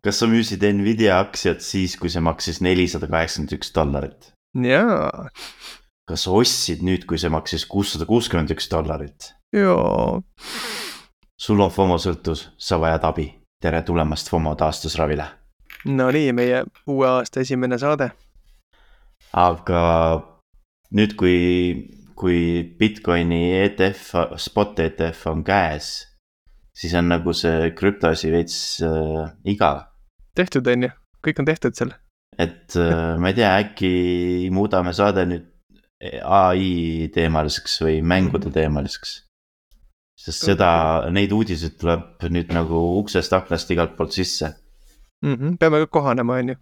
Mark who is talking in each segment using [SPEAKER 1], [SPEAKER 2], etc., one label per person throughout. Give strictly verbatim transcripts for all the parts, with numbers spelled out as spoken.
[SPEAKER 1] kas sa müüsid Nvidia aktsiat siis, kui see maksis nelisada kaheksakümmend üks dollarit?
[SPEAKER 2] Jaa.
[SPEAKER 1] Kas sa ostsid nüüd, kui see maksis kuussada kuuskümmend üks dollarit?
[SPEAKER 2] Jaa.
[SPEAKER 1] Sul on FOMO sõltus, sa vajad abi. Tere tulemast FOMO taastusravile.
[SPEAKER 2] No nii, meie uue aasta esimene saade.
[SPEAKER 1] Aga nüüd, kui, kui Bitcoini E T F, spot E T F on käes, siis on nagu see krüptoasi veits äh, igav.
[SPEAKER 2] Tehtud on ju, kõik on tehtud seal.
[SPEAKER 1] Et äh, ma ei tea, äkki muudame saade nüüd A I teemaliseks või mängude teemaliseks. Sest seda, neid uudiseid tuleb nüüd nagu uksest aknast igalt poolt sisse.
[SPEAKER 2] Mm-hmm. Peame ka kohanema, on ju.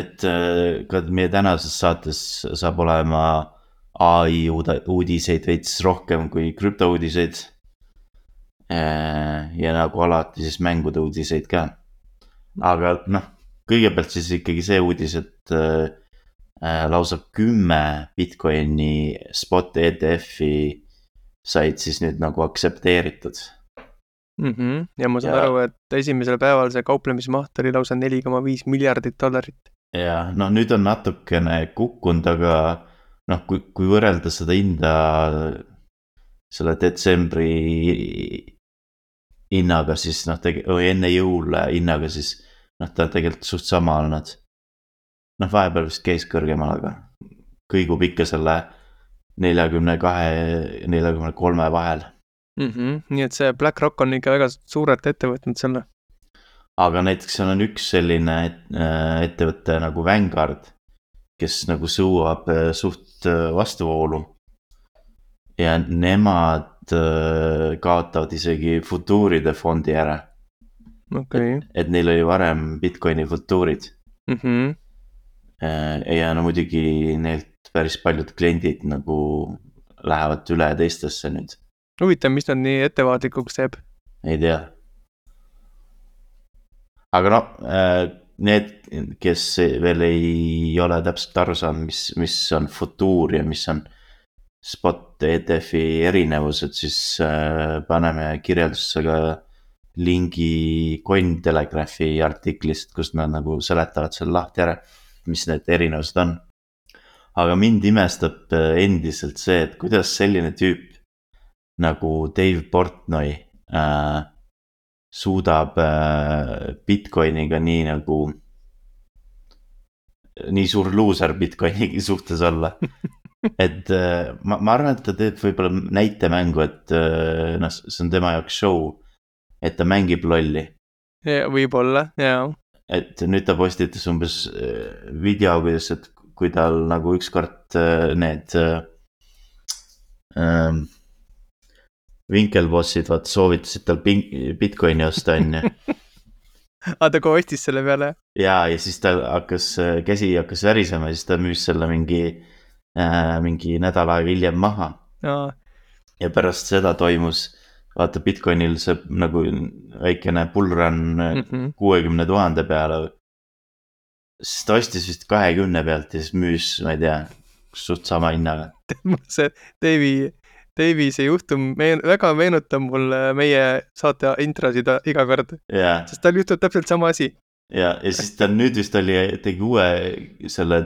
[SPEAKER 1] Et äh, ka meie tänases saates saab olema A I uudiseid veits rohkem kui krüptouudiseid. Ja nagu alati siis mängude uudiseid ka. Aga noh, kõigepealt siis ikkagi see uudis, et äh, lausa kümme Bitcoini spot E T F-i said siis nüüd nagu aktsepteeritud.
[SPEAKER 2] Mm-hmm. Ja ma saan
[SPEAKER 1] Ja-
[SPEAKER 2] aru, et esimesel päeval see kauplemismaht oli lausa neli koma viis miljardit dollarit.
[SPEAKER 1] Ja noh, nüüd on natukene kukkunud, aga noh, kui, kui võrrelda seda hinda selle detsembri hinnaga, siis noh, tege- või enne jõule hinnaga, siis noh, ta tegelikult suht sama olnud. Noh, vahepeal vist käis kõrgemal, aga kõigub ikka selle neljakümne kahe, neljakümne kolme vahel.
[SPEAKER 2] Mm-hmm. Nii et see BlackRock on ikka väga suurelt ette võtnud selle.
[SPEAKER 1] Aga näiteks seal on üks selline et, äh, ettevõte nagu Vanguard, kes nagu suuab äh, suht äh, vastuvoolu. Ja nemad äh, kaotavad isegi futuuride fondi ära.
[SPEAKER 2] Okei. Okay.
[SPEAKER 1] Et neil oli varem Bitcoini futuurid.
[SPEAKER 2] Mm-hmm.
[SPEAKER 1] Äh, ja no muidugi neilt päris paljud kliendid nagu lähevad üle teistesse nüüd.
[SPEAKER 2] Huvitav, mis nad nii ettevaatlikuks teeb?
[SPEAKER 1] Ei tea. Aga no, need, kes veel ei ole täpselt aru saanud, mis, mis on futuur ja mis on spot E T F-i erinevused, siis paneme kirjeldusse ka lingi Cointelegraphi artiklist, kus nad nagu seletavad selle lahti ära, mis need erinevused on. Aga mind imestab endiselt see, et kuidas selline tüüp nagu Dave Portnoy äh, suudab äh, Bitcoiniga nii nagu nii suur loser Bitcoini suhtes olla. Et äh, ma, ma arvan, et ta teeb võib-olla näitemängu, et äh, noh, see on tema jaoks show, et ta mängib lolli.
[SPEAKER 2] Ja, võib-olla, jaa.
[SPEAKER 1] Et nüüd ta postitas umbes äh, video, kuidas, et kui tal nagu ükskord äh, need äh, äh, Winkelbossid vaat soovitasid tal Bitcoini osta, on ju.
[SPEAKER 2] Aa, ta kohe ostis selle peale.
[SPEAKER 1] Ja, ja siis ta hakkas, käsi hakkas värisema ja siis ta müüs selle mingi, äh, mingi nädal aega hiljem maha.
[SPEAKER 2] Aa.
[SPEAKER 1] Ja pärast seda toimus, vaata Bitcoinil see nagu väikene bullrun
[SPEAKER 2] Mm-hmm.
[SPEAKER 1] kuuekümne tuhande peale. Siis ta ostis vist kahekümne pealt ja siis müüs, ma ei tea, suht sama hinnaga.
[SPEAKER 2] see Davey, Davey see juhtum meen, väga meenutab mulle meie saate introsid iga kord.
[SPEAKER 1] Ja,
[SPEAKER 2] Sest tal juhtub täpselt sama asi.
[SPEAKER 1] ja, ja siis ta nüüd vist oli, tegi uue selle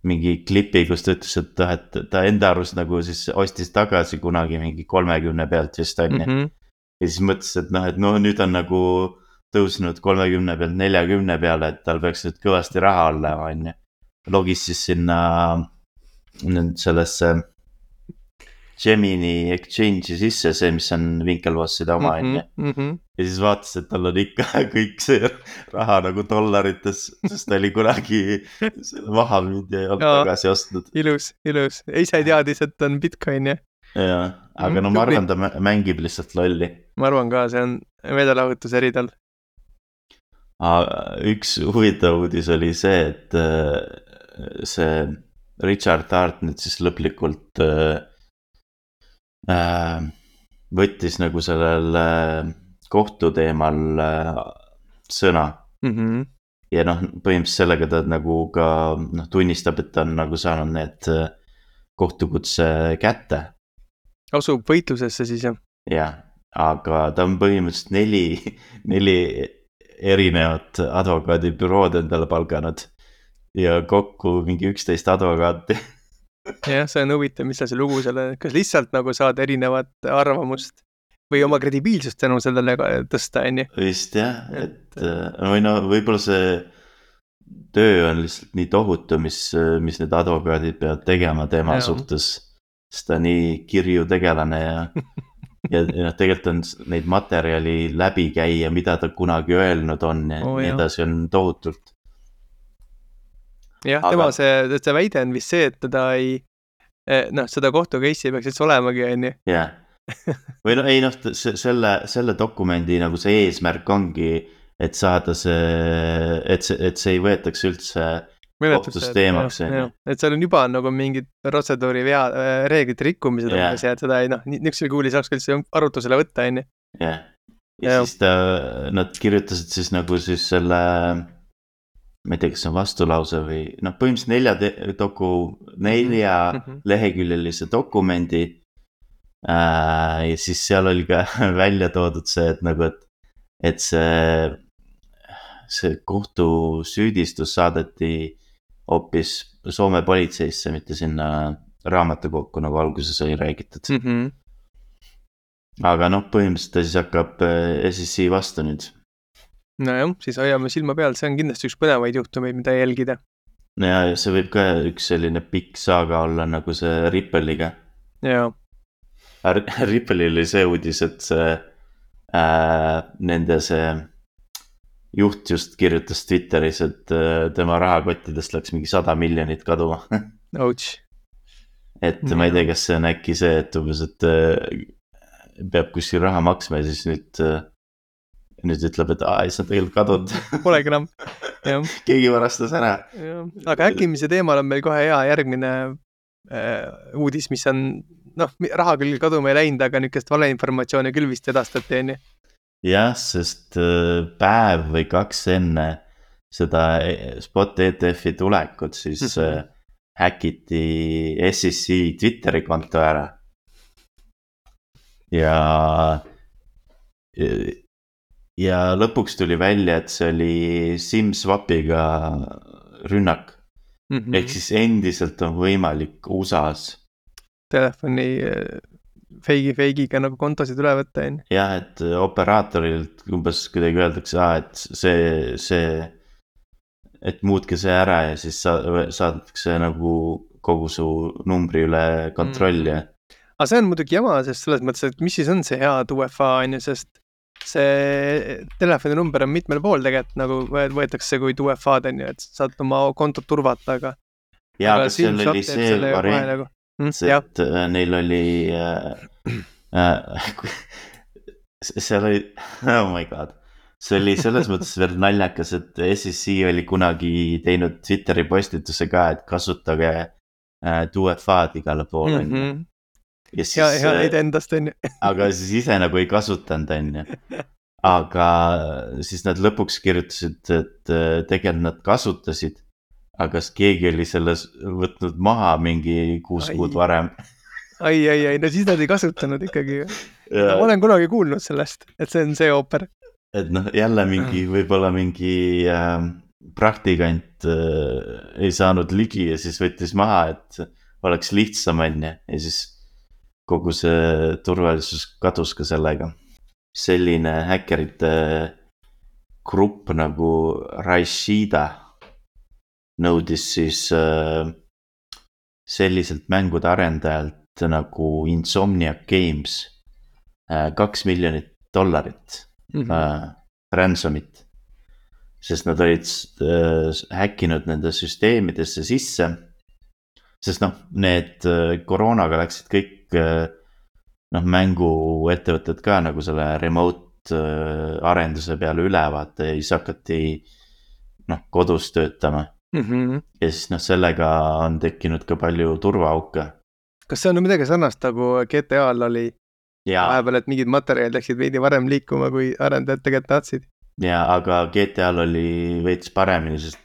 [SPEAKER 1] mingi klipi, kus ta ütles, et, et ta enda arust nagu siis ostis tagasi kunagi mingi kolmekümne pealt vist on.
[SPEAKER 2] Mm-hmm.
[SPEAKER 1] Ja siis mõtles, et noh, et no nüüd on nagu tõusnud kolmekümne pealt neljakümne peale, et tal peaks nüüd kõvasti raha olema, on ju. Logis siis sinna nüüd sellesse Gemini Exchange'i sisse, see, mis on Winkelvosside oma, on ju.
[SPEAKER 2] Mm-hmm.
[SPEAKER 1] Ja siis vaatas, et tal on ikka kõik see raha nagu dollarites, sest ta oli kunagi selle maha müüd ja ei olnud
[SPEAKER 2] Jaa.
[SPEAKER 1] tagasi ostnud.
[SPEAKER 2] Ilus, ilus. Ise teadis, et on Bitcoin, jah.
[SPEAKER 1] Ja, aga no ma arvan, ta mängib lihtsalt lolli.
[SPEAKER 2] Ma arvan ka, see on meelelahutus eri tal.
[SPEAKER 1] Üks huvitav uudis oli see, et see Richard Hart nüüd siis lõplikult võttis nagu sellel kohtu teemal sõna.
[SPEAKER 2] Mm-hmm.
[SPEAKER 1] Ja noh, põhimõtteliselt sellega ta nagu ka noh, tunnistab, et ta on nagu saanud need kohtukutse kätte.
[SPEAKER 2] Asub võitlusesse siis, jah?
[SPEAKER 1] Jah, aga ta on põhimõtteliselt neli, neli erinevad advokaadibürood endale palganud ja kokku mingi üksteist advokaati.
[SPEAKER 2] jah, see on huvitav, mis see lugu selle, kas lihtsalt nagu saad erinevat arvamust või oma kredibiilsust tänu sellele tõsta, on ju?
[SPEAKER 1] Vist jah, et või no võib-olla see töö on lihtsalt nii tohutu, mis, mis need advokaadid peavad tegema tema ja. suhtes, sest ta nii kirju tegelane ja ja noh, tegelikult on neid materjali läbi käia, mida ta kunagi öelnud on ja oh, nii edasi on tohutult.
[SPEAKER 2] jah, tema Aga... see, see väide on vist see, et teda ei, noh, seda kohtu case'i peaks üldse olemagi, on ju.
[SPEAKER 1] jah, või no ei noh, selle, selle dokumendi nagu see eesmärk ongi, et saada see, et see, et see ei võetaks üldse kohtus teemaks.
[SPEAKER 2] et seal on juba nagu mingid protseduuri vea, reeglite rikkumised yeah. umbes ja et seda ei noh, niisugusel kuuli saaks ka üldse arutusele võtta, on ju.
[SPEAKER 1] jah, ja, ja siis ta, nad kirjutasid siis nagu siis selle, ma ei tea, kas see on vastulause või noh, põhimõtteliselt nelja, te, doku, nelja mm-hmm. leheküljelise dokumendi äh, ja siis seal oli ka välja toodud see, et nagu, et, et see, see kohtusüüdistus saadeti hoopis Soome politseisse, mitte sinna raamatukokku, nagu alguses oli räägitud. Mm-hmm. aga noh, põhimõtteliselt ta siis hakkab S S I vastu nüüd.
[SPEAKER 2] nojah, siis hoiame silma peal, see on kindlasti üks põnevaid juhtumeid, mida jälgida.
[SPEAKER 1] ja see võib ka üks selline pikk saaga olla, nagu see Ripple'iga.
[SPEAKER 2] jaa.
[SPEAKER 1] Ripple'il oli see uudis, et see äh, nende see juht just kirjutas Twitteris, et tema rahakottidest läks mingi sada miljonit kaduma.
[SPEAKER 2] Ouch.
[SPEAKER 1] et ma ei tea, kas see on äkki see, et umbes, et peab kuskil raha maksma ja siis nüüd, nüüd ütleb, et aa, ei see on tegelikult kadunud.
[SPEAKER 2] Polegi enam.
[SPEAKER 1] keegi varastas ära.
[SPEAKER 2] aga häkkimise teemal on meil kohe hea järgmine äh, uudis, mis on, noh, raha küll kaduma ei läinud, aga niisugust valeinformatsiooni küll vist edastati, on ju.
[SPEAKER 1] jah, sest päev või kaks enne seda Spot E T F-i tulekut siis mm-hmm. häkiti S S I Twitteri konto ära. ja ja lõpuks tuli välja, et see oli SIM-swapiga rünnak mm-hmm. ehk siis endiselt on võimalik U S A-s
[SPEAKER 2] telefoni feigi, feigiga nagu kontosid üle võtta, on.
[SPEAKER 1] jah, et operaatorile umbes kuidagi öeldakse, et see, see, et muutke see ära ja siis sa-, saadatakse nagu kogu su numbri üle kontrolli mm..
[SPEAKER 2] aga see on muidugi jama, sest selles mõttes, et mis siis on see head U F A, on ju, sest see telefoninumber on mitmel pool tegelikult nagu võetakse kui U F A-d, on ju, et saad oma kontot turvata, aga
[SPEAKER 1] jaa, aga seal oli see variant nagu Mm, see, et äh, neil oli äh, äh, seal oli, oh my god, see oli selles mõttes veel naljakas, et S S I oli kunagi teinud Twitteri postituse ka, et kasutage äh, U F A-d igale poole mm-hmm.
[SPEAKER 2] ja siis, hea, hea neid endast on ju.
[SPEAKER 1] aga siis ise nagu ei kasutanud on ju, aga siis nad lõpuks kirjutasid, et tegelikult nad kasutasid, aga kas keegi oli selles võtnud maha mingi kuus kuud varem?
[SPEAKER 2] ai, ai, ai, no siis nad ei kasutanud ikkagi. Ma olen kunagi kuulnud sellest, et see on see ooper.
[SPEAKER 1] Et noh, jälle mingi, võib-olla mingi äh, praktikant äh, ei saanud ligi ja siis võttis maha, et oleks lihtsam enne ja siis kogu see turvalisus kadus ka sellega. Selline häkkerite grupp nagu Rashida nõudis siis äh, selliselt mängude arendajalt nagu Insomniac Games äh, kaks miljonit dollarit mm-hmm. äh, ransomit, sest nad olid äh, häkkinud nende süsteemidesse sisse, sest noh, need äh, koroonaga läksid kõik äh, noh, mänguettevõtted ka nagu selle remote äh, arenduse peale üle, vaata ja siis hakati noh, kodus töötama. Mm-hmm. ja siis noh, sellega on tekkinud ka palju turvaauke.
[SPEAKER 2] Kas see on midagi sarnast nagu G T A-l oli vahepeal, et mingid materjalid läksid veidi varem liikuma, kui arendajad tegelikult tahtsid?
[SPEAKER 1] Jaa, aga G T A-l oli veits paremini, sest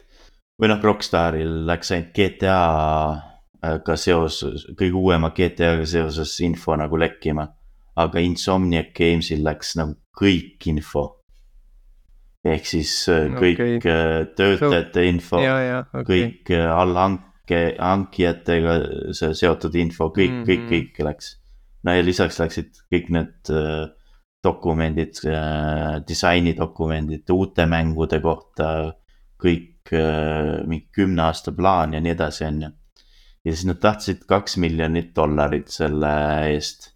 [SPEAKER 1] või noh, Rockstaril läks ainult G T A-ga seoses, kõige uuema G T A-ga seoses info nagu lekkima, aga Insomniac Gamesil läks nagu kõik info ehk siis kõik okay. töötajate info,
[SPEAKER 2] ja, ja, okay.
[SPEAKER 1] kõik allhanke, hankijatega seotud info, kõik mm, -hmm. kõik, kõik läks. no ja lisaks läksid kõik need dokumendid, disainidokumendid uute mängude kohta, kõik mingi kümne aasta plaan ja nii edasi, on ju. ja siis nad tahtsid kaks miljonit dollarit selle eest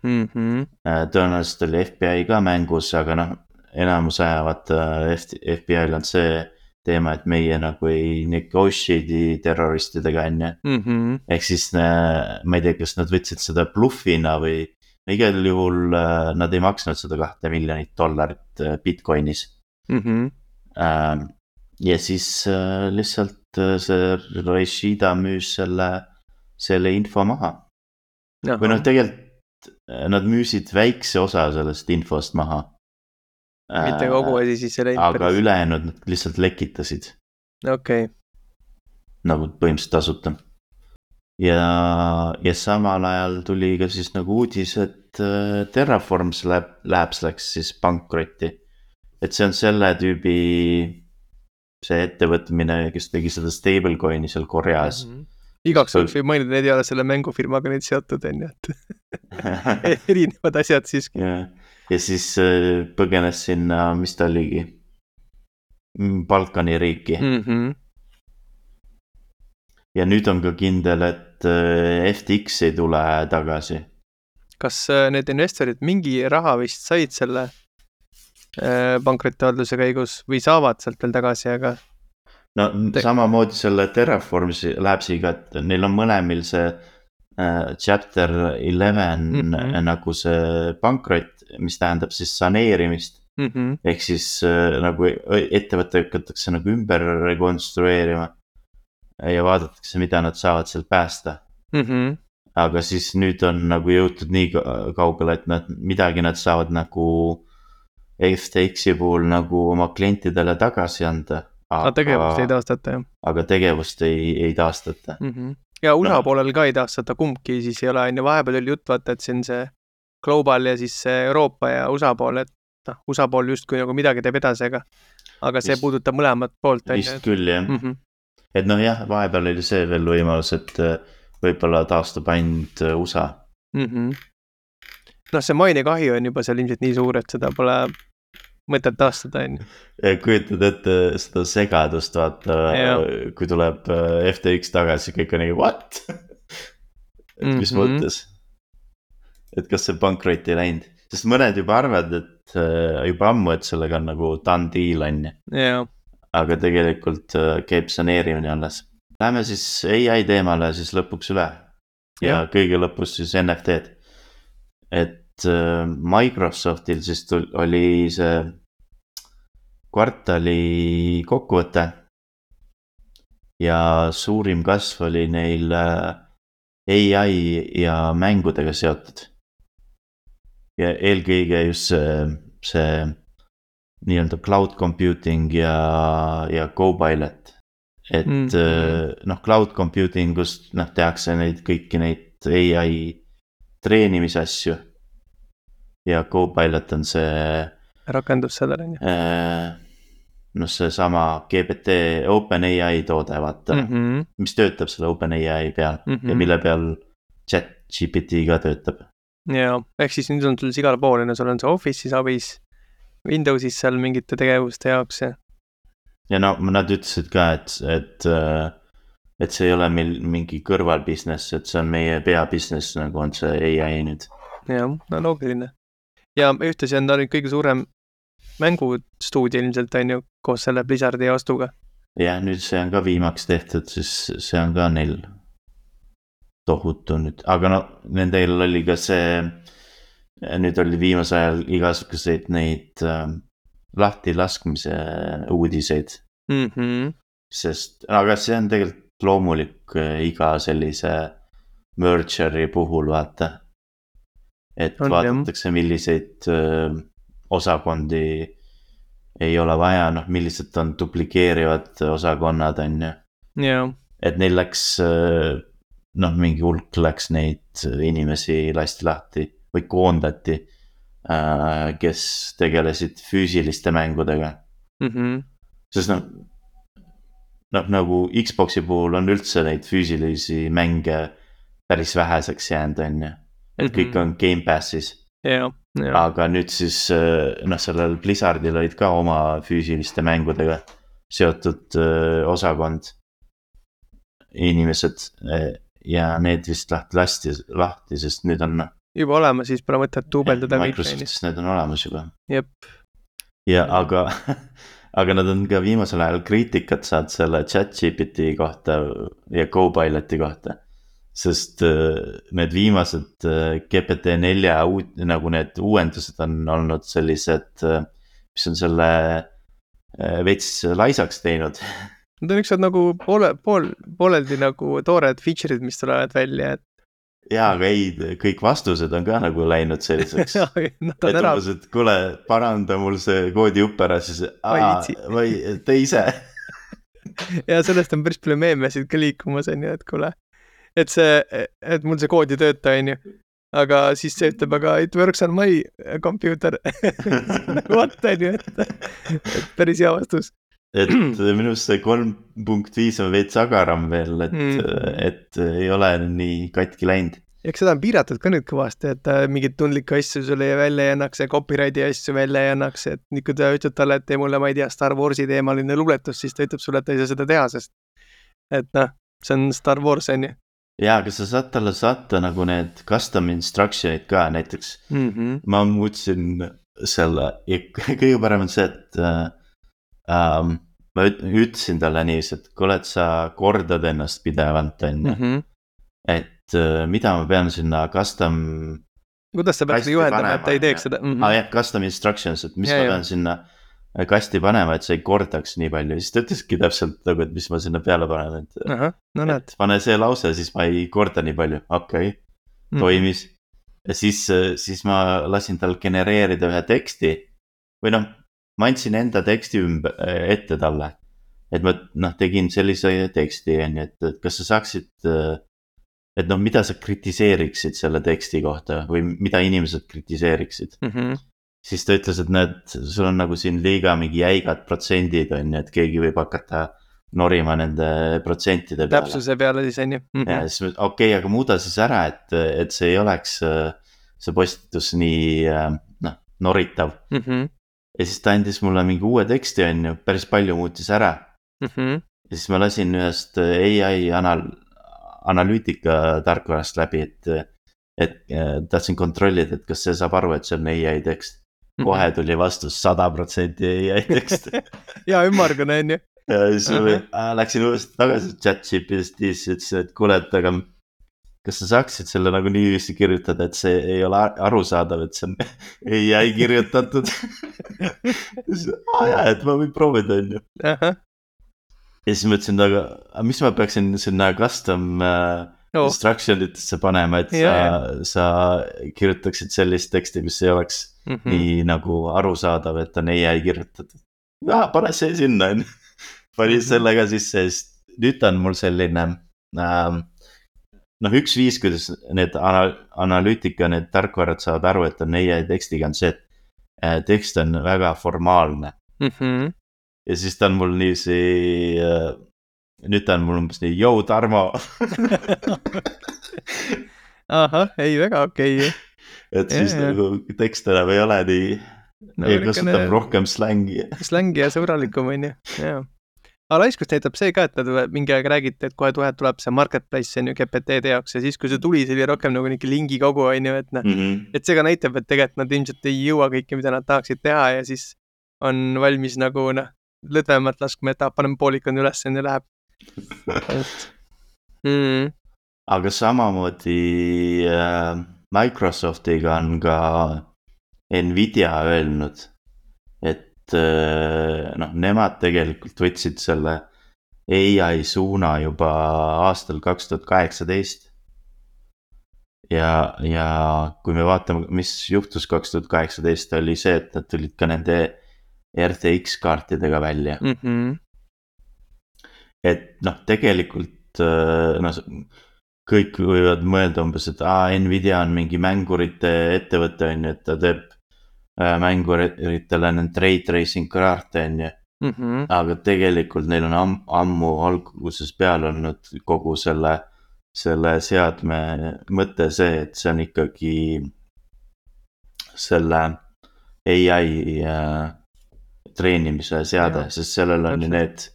[SPEAKER 2] mm. -hmm.
[SPEAKER 1] tõenäoliselt oli F B I ka mängus, aga noh, enamus ajavad F B I-l on see teema, et meie nagu ei negotiate'i terroristidega, on ju
[SPEAKER 2] mm -hmm.
[SPEAKER 1] ehk siis ma ei tea, kas nad võtsid seda bluffina või igal juhul nad ei maksnud seda kahte miljonit dollarit Bitcoinis
[SPEAKER 2] mm. -hmm.
[SPEAKER 1] ja siis lihtsalt see Rashida müüs selle, selle info maha. Aha. või noh, tegelikult nad müüsid väikse osa sellest infost maha.
[SPEAKER 2] mitte kogu asi siis selle
[SPEAKER 1] imperis. Aga ülejäänud nad lihtsalt lekitasid.
[SPEAKER 2] okei okay.
[SPEAKER 1] nagu põhimõtteliselt tasuta. ja, ja samal ajal tuli ka siis nagu uudis, et Terraforms Lab, Labs läks siis pankrotti. et see on selle tüübi see ettevõtmine, kes tegi seda stablecoin'i seal Koreas.
[SPEAKER 2] Mm -hmm. igaks juhuks võib mainida, need ei ole selle mängufirmaga nüüd seotud, on ju, et erinevad asjad siiski.
[SPEAKER 1] ja, ja siis põgenes sinna, mis ta oligi, Balkani riiki
[SPEAKER 2] mm. -hmm.
[SPEAKER 1] ja nüüd on ka kindel, et F T X ei tule tagasi.
[SPEAKER 2] kas need investorid mingi raha vist said selle pankrotiavalduse käigus või saavad sealt veel tagasi, aga
[SPEAKER 1] no Te... samamoodi selle Terraforms Labsiga, et neil on mõlemil see äh, chapter eleven mm -hmm. nagu see pankrot, mis tähendab siis saneerimist
[SPEAKER 2] mm -hmm.
[SPEAKER 1] ehk siis äh, nagu ettevõte hakatakse nagu ümber rekonstrueerima ja vaadatakse, mida nad saavad sealt päästa
[SPEAKER 2] mm. -hmm.
[SPEAKER 1] aga siis nüüd on nagu jõutud nii kaugele, et nad midagi nad saavad nagu F T X-i puhul nagu oma klientidele tagasi anda.
[SPEAKER 2] aga tegevust ei taastata, jah?
[SPEAKER 1] aga tegevust ei, ei taastata
[SPEAKER 2] mm. -hmm. ja U S A no. poolel ka ei taastata, kumbki siis ei ole, on ju, vahepeal oli jutt, vaata, et see on see global ja siis see Euroopa ja U S A pool, et noh, U S A pool justkui nagu midagi teeb edasi, aga aga see vist, puudutab mõlemat poolt.
[SPEAKER 1] vist et... küll, jah mm. -hmm. et noh, jah, vahepeal oli see veel võimalus, et võib-olla taastub ainult U S A
[SPEAKER 2] mm. -hmm. noh, see mainekahju on juba seal ilmselt nii suur, et seda pole mõtet taastada, on ju.
[SPEAKER 1] kujutad ette seda segadust, vaata, kui tuleb F T X tagasi, kõik on nagu what? et mis mm -hmm. mõttes? et kas see pankrot ei läinud? sest mõned juba arvavad, et juba ammu, et sellega on nagu done deal, on ju. aga tegelikult käib saneerimine alles. Läheme siis A I teemale siis lõpuks üle. ja, ja kõige lõpus siis N F T-d. et Microsoftil siis tul, oli see kvartali kokkuvõte ja suurim kasv oli neil A I ja mängudega seotud. ja eelkõige just see, see nii-öelda cloud computing ja, ja Copilot. et mm. noh, cloud computing ust noh, tehakse neid kõiki neid A I treenimisasju. ja Copilot on see
[SPEAKER 2] rakendus sellele, on ju.
[SPEAKER 1] noh, see sama G P T OpenAI toode, vaata mm, -hmm. mis töötab selle OpenAI peal mm -hmm. ja mille peal ChatGPT ka töötab.
[SPEAKER 2] ja, ehk siis nüüd on sul igal pool, no sul on see Office'is abis, Windows'is seal mingite tegevuste jaoks ja.
[SPEAKER 1] ja no nad ütlesid ka, et, et, et see ei ole meil mingi kõrval business, et see on meie pea business, nagu on see A I nüüd.
[SPEAKER 2] jah, no loogiline. ja ühtlasi on ta nüüd kõige suurem mängustuudio ilmselt, on ju, koos selle Blizzardi ostuga.
[SPEAKER 1] jah, nüüd see on ka viimaks tehtud, siis see on ka neil tohutu nüüd, aga no nendel oli ka see, nüüd oli viimasel ajal igasuguseid neid äh, lahti laskmise uudiseid
[SPEAKER 2] mm. -hmm.
[SPEAKER 1] sest, aga see on tegelikult loomulik äh, iga sellise merger'i puhul, vaata. et on, vaadatakse, milliseid öö, osakondi ei ole vaja, noh, millised on duplikeerivad osakonnad, on ju.
[SPEAKER 2] Yeah.
[SPEAKER 1] et neil läks, noh, mingi hulk läks neid inimesi lasti lahti või koondati, kes tegelesid füüsiliste mängudega.
[SPEAKER 2] mm-hmm.
[SPEAKER 1] sest noh, noh nagu Xbox'i puhul on üldse neid füüsilisi mänge päris väheseks jäänud, on ju. Et mm-hmm. kõik on Game Passis.
[SPEAKER 2] Yeah, yeah.
[SPEAKER 1] Aga nüüd siis noh, sellel Blizzardil olid ka oma füüsiliste mängudega seotud öö, osakond inimesed ja need vist lahti lasti lahti, sest nüüd on
[SPEAKER 2] juba olemas, siis pole mõtet duubeldada.
[SPEAKER 1] Microsoftis need on olemas juba.
[SPEAKER 2] Jep.
[SPEAKER 1] Ja aga, aga nad on ka viimasel ajal kriitikat saanud selle ChatGPT kohta ja Copiloti kohta. Sest need viimased G P T nelja uud, nagu need uuendused on olnud sellised, mis on selle veits laisaks teinud.
[SPEAKER 2] Need on ükskord nagu poole, pool, pooleldi nagu toored feature'id, mis tulevad välja. Et...
[SPEAKER 1] jaa, aga ei, kõik vastused on ka nagu läinud selliseks. et umbes, et kuule, paranda mul see koodi upp ära, siis aa, või te ise.
[SPEAKER 2] ja sellest on päris palju meemesid ka liikumas, on ju, et kuule. Et see, et mul see kood ei tööta, on ju. Aga siis see ütleb, aga it works on my computer. What, on ju, et, et päris hea vastus.
[SPEAKER 1] Et minust see kolm punkt viis on veits agaram veel, et, mm. et ei ole nii katki läinud.
[SPEAKER 2] Eks seda on piiratud ka nüüd kõvasti, et mingid tundlikke asju sulle välja ei annaks ja copyrighti asju välja ei annaks, et nii kui ta ütleb talle, et tee mulle, ma ei tea, Star Warsi teemaline luuletus, siis ta ütleb sulle, et ta ei saa seda teha, sest et noh, see on Star Wars, on ju.
[SPEAKER 1] Jaa, aga sa saad talle saata nagu need custom instruction'id ka, näiteks
[SPEAKER 2] mm-hmm.
[SPEAKER 1] ma muutsin selle ja kõige parem on see, et uh, um, ma ütlesin talle niiviisi, et kuule, et sa kordad ennast pidevalt, on ju.
[SPEAKER 2] Mm-hmm.
[SPEAKER 1] Et uh, mida ma pean sinna custom
[SPEAKER 2] kuidas sa peaks juhendama, et ta ei teeks seda?
[SPEAKER 1] Mm-hmm. Ah, jah, custom instructions, et mis ja, ma pean jah. Sinna kasti panema, et sa ei kordaks nii palju. Siis ta ütleski täpselt nagu, et mis ma sinna peale panen. Et,
[SPEAKER 2] Aha, no näed.
[SPEAKER 1] Et pane see lause, siis ma ei korda nii palju. Okei, okay. Toimis. Mm. Ja siis, siis ma lasin tal genereerida ühe teksti. Või noh, ma andsin enda teksti ümber, ette talle. Et ma noh, tegin sellise teksti, et, et kas sa saaksid, et noh, mida sa kritiseeriksid selle teksti kohta või mida inimesed kritiseeriksid.
[SPEAKER 2] Mhm.
[SPEAKER 1] Siis ta ütles, et näed, sul on nagu siin liiga mingi jäigad protsendid on, et keegi võib hakata norima nende protsentide peale.
[SPEAKER 2] Täpsuse peale siis on ju.
[SPEAKER 1] Mm-hmm. Ja siis okei, okay, aga muuda siis ära, et, et see ei oleks see postitus nii noh, noritav.
[SPEAKER 2] Mm-hmm.
[SPEAKER 1] Ja siis ta andis mulle mingi uue teksti on ju, päris palju muutis ära.
[SPEAKER 2] Mm-hmm.
[SPEAKER 1] Ja siis ma lasin ühest A I anal- analüütika tarkvarast läbi, et, et tahtsin kontrollida, et kas see saab aru, et see on A I tekst. Kohe tuli vastus sada protsenti A I tekst.
[SPEAKER 2] ja ümmargune on ju.
[SPEAKER 1] Ja siis uh-huh. läksin uuesti tagasi ChatGPT-s ja ütlesin, et kuule, et aga kas sa saaksid selle nagu niiviisi kirjutada, et see ei ole arusaadav, et see on A I kirjutatud. ah, jah, et ma võin proovida, on ju.
[SPEAKER 2] Uh-huh.
[SPEAKER 1] Ja siis mõtlesin, aga mis ma peaksin sinna custom uh, oh. instructionitesse panema, et ja, sa, sa kirjutaksid sellist teksti, mis ei oleks mm-hmm. nii nagu arusaadav, et on A I kirjutatud. Ja, pane see sinna, on. Pani mm-hmm. sellega sisse, sest nüüd on mul selline, ähm, noh, üks viis, kuidas need ana- analüütika, need tarkvarad saavad aru, et on A I tekstiga, on see, et äh, tekst on väga formaalne.
[SPEAKER 2] Mm-hmm.
[SPEAKER 1] Ja siis ta on mul niisi, äh, nüüd ta on mul umbes nii, jou Tarmo.
[SPEAKER 2] Ahah, ei väga okei okay..
[SPEAKER 1] Et siis ja, nagu tekst enam ei ole nii, no, ei kasutab rohkem slängi.
[SPEAKER 2] Slängi ja sõbralikum on ju, jaa. Aga laiskust näitab see ka, et nad mingi aeg räägite, et kohe tuhet tuleb see marketplace on ju G P T-de jaoks ja siis, kui see tuli, see oli rohkem nagu mingi lingi kogu on ju, et noh,
[SPEAKER 1] mm-hmm.
[SPEAKER 2] et see ka näitab, et tegelikult nad ilmselt ei jõua kõike, mida nad tahaksid teha ja siis on valmis nagu noh, lõdvemalt laskma, et paneme poolikon üles ja läheb. mm.
[SPEAKER 1] Aga samamoodi äh, Microsoftiga on ka Nvidia öelnud, et noh, nemad tegelikult võtsid selle A I suuna juba aastal kaks tuhat kaheksateist. Ja, ja kui me vaatame, mis juhtus kaks tuhat kaheksateist, oli see, et nad tulid ka nende R T X kaartidega välja.
[SPEAKER 2] Mm-hmm.
[SPEAKER 1] Et noh, tegelikult noh, kõik võivad mõelda umbes, et aa, Nvidia on mingi mängurite ettevõte, on ju, et ta teeb mänguritele need trade tracing kaarte on ju.
[SPEAKER 2] Mhm.
[SPEAKER 1] aga tegelikult neil on am ammu alguses peal olnud kogu selle, selle seadme mõte see, et see on ikkagi selle A I äh, treenimise seade,
[SPEAKER 2] Jah,
[SPEAKER 1] sest sellel on ju
[SPEAKER 2] täpselt.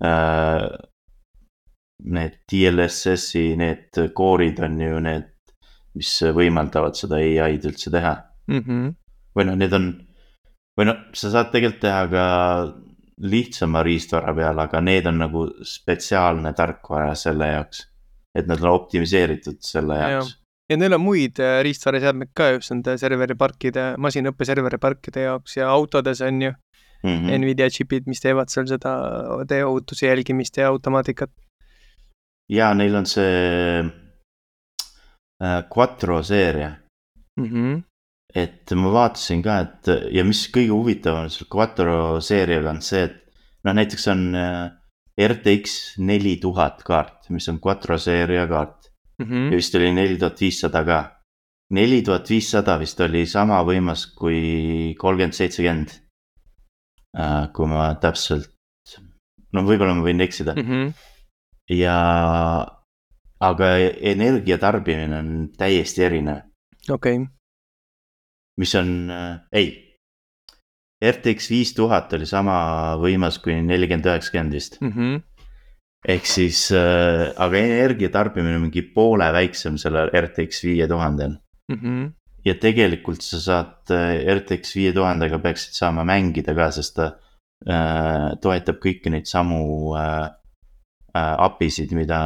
[SPEAKER 1] need äh, need D L S S-i, need koorid on ju need, mis võimaldavad seda A I-d üldse teha.
[SPEAKER 2] Mhm.
[SPEAKER 1] või noh, need on, või noh, sa saad tegelikult teha ka lihtsama riistvara peal, aga need on nagu spetsiaalne tarkvara selle jaoks, et nad on optimiseeritud selle
[SPEAKER 2] Jah.
[SPEAKER 1] jaoks.
[SPEAKER 2] Ja neil on muid äh, riistvaraseadmeid ka just nende serveriparkide, masinaõppe serveriparkide jaoks ja autodes on ju
[SPEAKER 1] Mm -hmm.
[SPEAKER 2] Nvidia chipid, mis teevad seal seda teeohutuse jälgimist ja automaatikat.
[SPEAKER 1] ja neil on see äh, Quattro seeria.
[SPEAKER 2] Mhm.
[SPEAKER 1] et ma vaatasin ka, et ja mis kõige huvitavam selle Quattro seeriaga on see, et noh, näiteks on äh, R T X neli tuhat kaart, mis on Quattro seeria kaart.
[SPEAKER 2] Mhm.
[SPEAKER 1] ja vist oli neli tuhat viissada ka. neli tuhat viissada vist oli sama võimas kui kolmkümmend seitsekümmend. Äh, kui ma täpselt, no võib-olla ma võin eksida.
[SPEAKER 2] Mhm.
[SPEAKER 1] ja, aga energia tarbimine on täiesti erinev,
[SPEAKER 2] Okei.
[SPEAKER 1] mis on äh,, ei, R T X viis tuhat oli sama võimas kui nelikümmend üheksakümmend vist.
[SPEAKER 2] Mhm.
[SPEAKER 1] ehk siis äh,, aga energia tarbimine on mingi poole väiksem sellel R T X viie tuhandel.
[SPEAKER 2] Mhm.
[SPEAKER 1] ja tegelikult sa saad äh, R T X viie tuhandega peaksid saama mängida ka, sest ta äh, toetab kõiki neid samu äh, äh, apisid, mida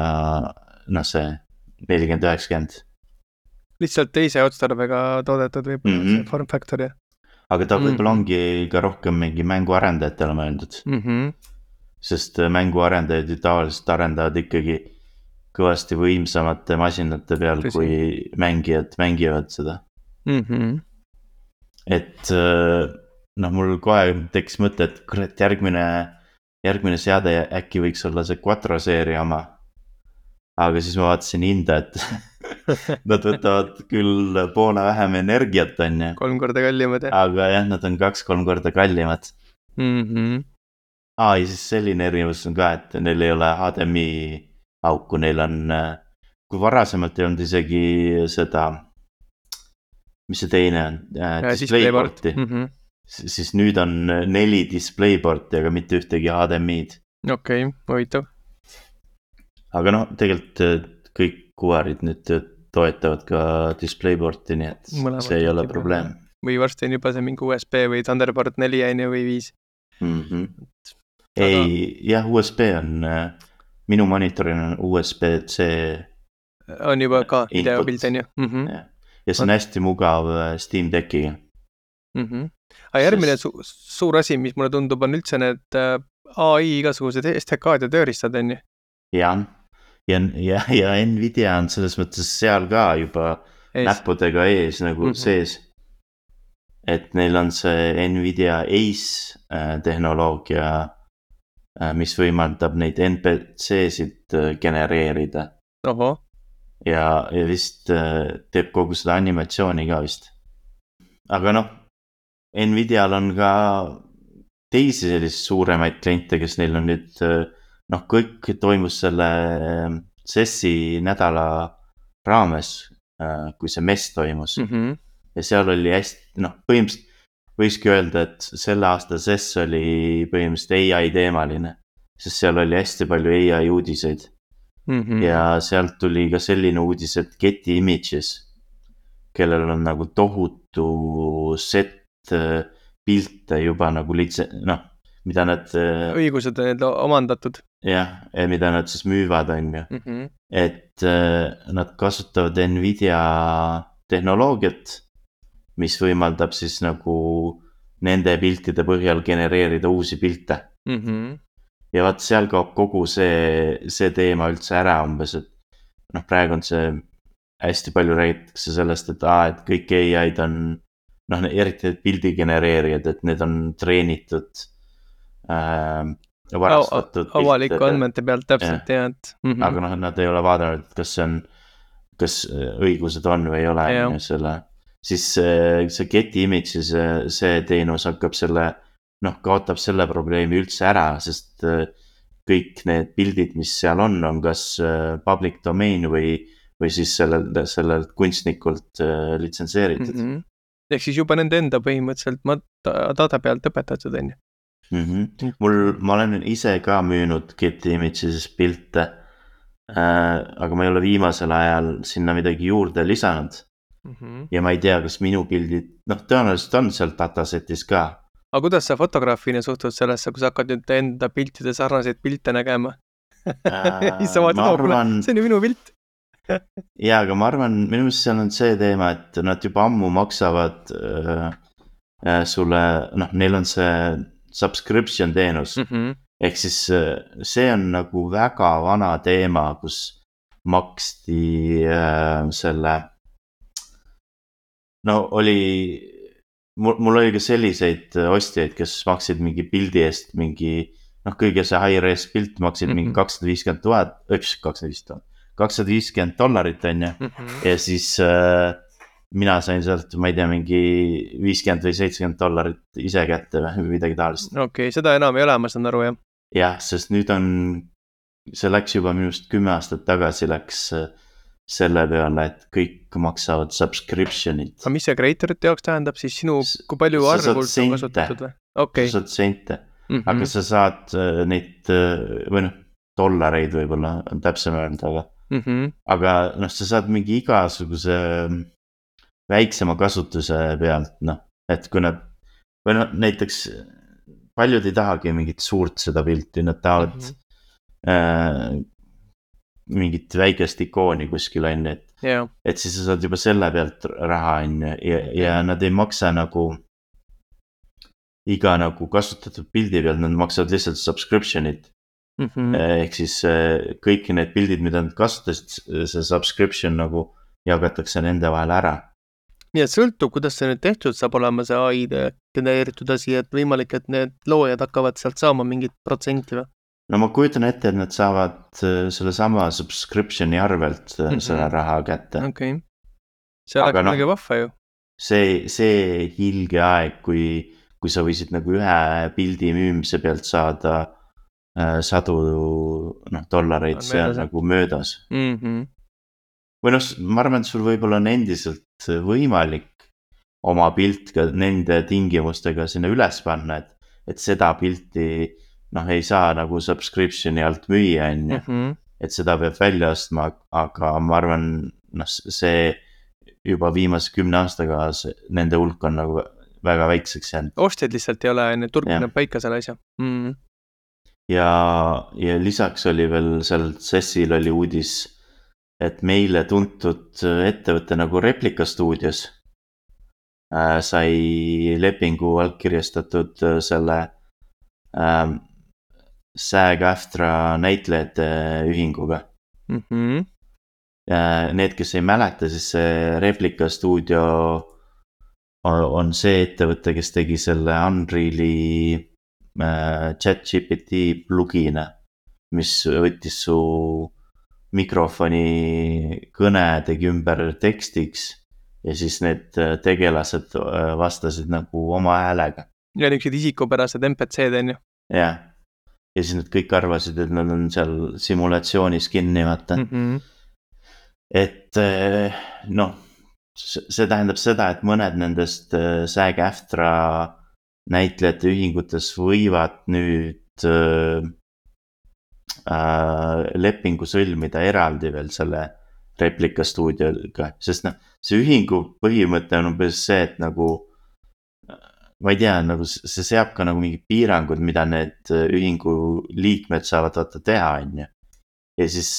[SPEAKER 1] noh, see nelikümmend üheksakümmend.
[SPEAKER 2] Lihtsalt teise otstarbega toodetud võib-olla
[SPEAKER 1] Mhm.
[SPEAKER 2] see form factor ja.
[SPEAKER 1] aga ta võib-olla
[SPEAKER 2] Mhm.
[SPEAKER 1] ongi ka rohkem mingi mänguarendajatele mõeldud,
[SPEAKER 2] Mhm.
[SPEAKER 1] sest äh, mänguarendajad ju tavaliselt arendavad ikkagi kõvasti võimsamate masinate peal,
[SPEAKER 2] Tõsi.
[SPEAKER 1] kui mängijad mängivad seda.
[SPEAKER 2] Mhm.
[SPEAKER 1] et äh, noh, mul kohe tekkis mõte, et kurat, järgmine, järgmine seade äkki võiks olla see Quattro seeria oma. aga siis ma vaatasin hinda, et nad võtavad küll poole vähem energiat, on ju,
[SPEAKER 2] kolm korda kallimad ja.
[SPEAKER 1] aga jah, nad on kaks-kolm korda kallimad.
[SPEAKER 2] Mhm.
[SPEAKER 1] aa, ja siis selline erinevus on ka, et neil ei ole H D M I auku, neil on, kui varasemalt ei olnud isegi seda, mis see teine on äh,, displayporti,
[SPEAKER 2] Mhm.
[SPEAKER 1] siis nüüd on neli displayporti, aga mitte ühtegi H D M I-d.
[SPEAKER 2] Okei, huvitav.
[SPEAKER 1] aga noh, tegelikult äh, kõik kuvarid nüüd toetavad ka displayporti, nii et
[SPEAKER 2] Mõlemad
[SPEAKER 1] see ei ole
[SPEAKER 2] tekib,
[SPEAKER 1] probleem.
[SPEAKER 2] Või varsti on juba see mingi U S B või Thunderbolt neli on ju või viis.
[SPEAKER 1] mm -hmm.
[SPEAKER 2] Aga-
[SPEAKER 1] ei, jah, U S B on äh, minu monitoril on U S B C
[SPEAKER 2] On juba ka
[SPEAKER 1] Input.
[SPEAKER 2] videopilt on ju. Mhm.
[SPEAKER 1] jah. ja see on hästi mugav äh, Steam Deckiga.
[SPEAKER 2] Mhm. Aga järgmine
[SPEAKER 1] Sest-
[SPEAKER 2] su suur asi, mis mulle tundub, on üldse need äh, A I igasugused S T K-d ja tööriistad on ju.
[SPEAKER 1] jah, ja, ja, ja Nvidia on selles mõttes seal ka juba
[SPEAKER 2] Ees.
[SPEAKER 1] näppudega ees nagu
[SPEAKER 2] Mhm.
[SPEAKER 1] mm -hmm. sees. et neil on see Nvidia Ace äh, tehnoloogia äh,, mis võimaldab neid N P C-sid äh, genereerida
[SPEAKER 2] Ohoh.
[SPEAKER 1] ja, ja vist äh, teeb kogu seda animatsiooni ka vist. aga noh, Nvidial on ka teisi selliseid suuremaid kliente, kes neil on nüüd äh, noh, kõik toimus selle äh, C E S-i nädala raames äh,, kui see mess toimus mm.
[SPEAKER 2] Mhm.
[SPEAKER 1] ja seal oli hästi, noh, põhimõtteliselt võikski öelda, et selle aasta C E S oli põhimõtteliselt A I teemaline, sest seal oli hästi palju A I uudiseid
[SPEAKER 2] Mhm.
[SPEAKER 1] ja sealt tuli ka selline uudis, et Getty Images, kellel on nagu tohutu set äh, pilte juba nagu lihtsalt, noh, mida nad äh,
[SPEAKER 2] õigused on need omandatud.
[SPEAKER 1] jah, mida nad siis müüvad, on ju.
[SPEAKER 2] Mhm.
[SPEAKER 1] et äh, nad kasutavad Nvidia tehnoloogiat, mis võimaldab siis nagu nende piltide põhjal genereerida uusi pilte.
[SPEAKER 2] Mhm.
[SPEAKER 1] ja vaat seal kaob kogu see, see teema üldse ära umbes, et noh, praegu on see hästi palju räägitakse sellest, et aa, et kõik A I-d on noh, eriti need pildi genereerijad, et need on treenitud äh, varastatud
[SPEAKER 2] avaliku
[SPEAKER 1] piltide.
[SPEAKER 2] andmete pealt täpselt ja, et mhm.
[SPEAKER 1] aga noh, nad ei ole vaadanud, kas see on, kas õigused on või ei ole,
[SPEAKER 2] Jah.
[SPEAKER 1] on ju selle, siis see, see Getty Image'i see, see teenus hakkab selle noh, kaotab selle probleemi üldse ära, sest kõik need pildid, mis seal on, on kas public domain või, või siis sellelt, sellelt kunstnikult litsenseeritud.
[SPEAKER 2] Mm-hmm. Ehk siis juba nende enda põhimõtteliselt data pealt õpetatud, on ju?
[SPEAKER 1] Mm-hmm. Mul, ma olen ise ka müünud Getty Images pilte, äh, aga ma ei ole viimasel ajal sinna midagi juurde lisanud. Mm-hmm. Ja ma ei tea, kas minu pildid, noh, tõenäoliselt on seal datasetis ka.
[SPEAKER 2] Aga kuidas sa fotograafina suhtud sellesse, kui sa hakkad nüüd enda piltide sarnaseid pilte nägema?
[SPEAKER 1] Äh, ma arvan...
[SPEAKER 2] See on ju minu pilt.
[SPEAKER 1] Jaa, aga ma arvan, minu meelest seal on see teema, et nad juba ammu maksavad äh, äh, sulle, noh, neil on see subscription teenus. Mm-hmm. Ehk siis äh, see on nagu väga vana teema, kus maksti äh, selle, no oli, mul, mul oli ka selliseid ostjaid, kes maksid mingi pildi eest mingi, noh, kõige see high-res pilt maksid mm-hmm. mingi kakssada viiskümmend tuhat, üks, kakssada viiskümmend tuhat. kakssada viiskümmend dollarit on ju mm-hmm. ja siis äh, mina sain sealt, ma ei tea, mingi viiskümmend või seitsekümmend dollarit ise kätte või midagi taolist.
[SPEAKER 2] Okei, okay, seda enam ei ole, ma saan aru, jah.
[SPEAKER 1] Jah, sest nüüd on, see läks juba minust kümme aastat tagasi läks selle peale, et kõik maksavad subscription'id.
[SPEAKER 2] Aga mis see creatorite jaoks tähendab siis sinu, kui palju arvult on kasutatud või? Okay.
[SPEAKER 1] Sa saad sente, mm-hmm. aga sa saad neid, või noh, dollareid võib-olla on täpsem öelda, aga Mm-hmm. aga noh, sa saad mingi igasuguse väiksema kasutuse pealt, noh, et kui nad, või noh, näiteks paljud ei tahagi mingit suurt seda pilti, nad tahavad mm-hmm. äh, mingit väikest ikooni kuskil on, et, yeah. et siis sa saad juba selle pealt raha on ja, ja nad ei maksa nagu iga nagu kasutatud pildi pealt, nad maksavad lihtsalt subscription'id. Mm-hmm. Ehk siis kõik need pildid, mida nad kasutasid, see subscription nagu jagatakse nende vahel ära.
[SPEAKER 2] Nii et sõltub, kuidas see nüüd tehtud saab olema see A I genereeritud asi, et võimalik, et need loojad hakkavad sealt saama mingit protsenti või?
[SPEAKER 1] No ma kujutan ette, et nad saavad selle sama subscriptioni arvelt mm-hmm. selle raha kätte.
[SPEAKER 2] Okei. Okay. See oleks midagi no, vahva ju.
[SPEAKER 1] See, see hilge aeg, kui, kui sa võisid nagu ühe pildi müümise pealt saada sadu noh, dollareid, see on nagu möödas. Mm-hmm. Või noh, ma arvan, et sul võib-olla on endiselt võimalik oma pilt ka nende tingimustega sinna üles panna, et, et seda pilti noh, ei saa nagu subscription'i alt müüa, on ju. Mm-hmm. Et seda peab välja ostma, aga ma arvan, noh, see juba viimase kümne aastaga nende hulk on nagu väga väikseks jäänud.
[SPEAKER 2] Ostjad lihtsalt ei ole, turg näeb paika selle asja. Mm-hmm.
[SPEAKER 1] Ja, ja lisaks oli veel seal Cecil oli uudis, et meile tuntud ettevõte nagu Replika Studios äh, sai lepingu allkirjastatud selle äh, SAG-AFTRA näitlejate ühinguga. Mm-hmm. äh, need, kes ei mäleta, siis see Replika Studio on, on see ettevõte, kes tegi selle Unreali ChatGPT plugina, mis võttis su mikrofoni kõne, tegi ümber tekstiks ja siis need tegelased vastasid nagu oma häälega.
[SPEAKER 2] Ja niisugused isikupärased M P C-d on ju.
[SPEAKER 1] Jah, ja siis nad kõik arvasid, et nad on seal simulatsioonis kinni, vaata. Mm-hmm. Et noh, see tähendab seda, et mõned nendest SAG-AFTRA näitlejate ühingutes võivad nüüd äh, äh, lepingu sõlmida eraldi veel selle Replika Studioga, sest noh, see ühingu põhimõte on umbes see, et nagu ma ei tea, nagu see seab ka nagu mingid piirangud, mida need ühingu liikmed saavad vaata teha, on ju. Ja siis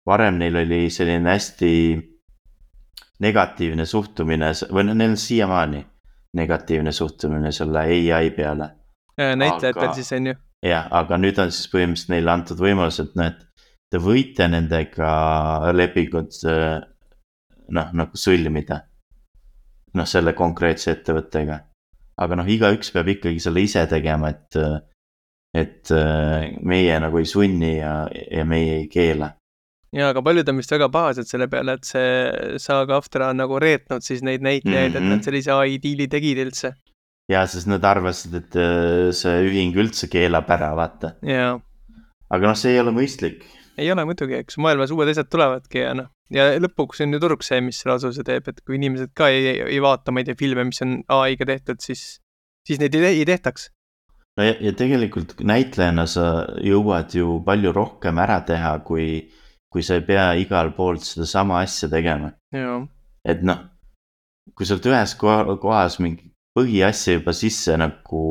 [SPEAKER 1] varem neil oli selline hästi negatiivne suhtumine, või neil on siiamaani negatiivne suhtumine selle A I peale.
[SPEAKER 2] Näitlejatel siis on ju.
[SPEAKER 1] Jah, aga nüüd on siis põhimõtteliselt neile antud võimalus, et noh, et te võite nendega lepingud noh, nagu sõlmida. Noh, selle konkreetse ettevõttega. Aga noh, igaüks peab ikkagi selle ise tegema, et, et meie nagu ei sunni ja, ja meie ei keela.
[SPEAKER 2] Ja, aga paljud on vist väga pahased selle peale, et see SAG-AFTRA on nagu reetnud siis neid näitlejaid, mm-hmm. et nad sellise A I diili tegid üldse.
[SPEAKER 1] ja siis nad arvasid, et äh, see ühing üldse keelab ära, vaata.
[SPEAKER 2] jaa.
[SPEAKER 1] aga noh, see ei ole mõistlik.
[SPEAKER 2] ei ole muidugi, eks maailmas uued asjad tulevadki ja noh, ja lõpuks on ju turg see, mis selle otsuse teeb, et kui inimesed ka ei, ei vaata, ma ei tea, filme, mis on A I-ga tehtud, siis, siis neid ei, ei tehtaks.
[SPEAKER 1] no ja, ja tegelikult näitlejana sa jõuad ju palju rohkem ära teha, kui, kui sa ei pea igal poolt seda sama asja tegema.
[SPEAKER 2] Jaa.
[SPEAKER 1] et noh, kui sa oled ühes kohas mingi põhiasja juba sisse nagu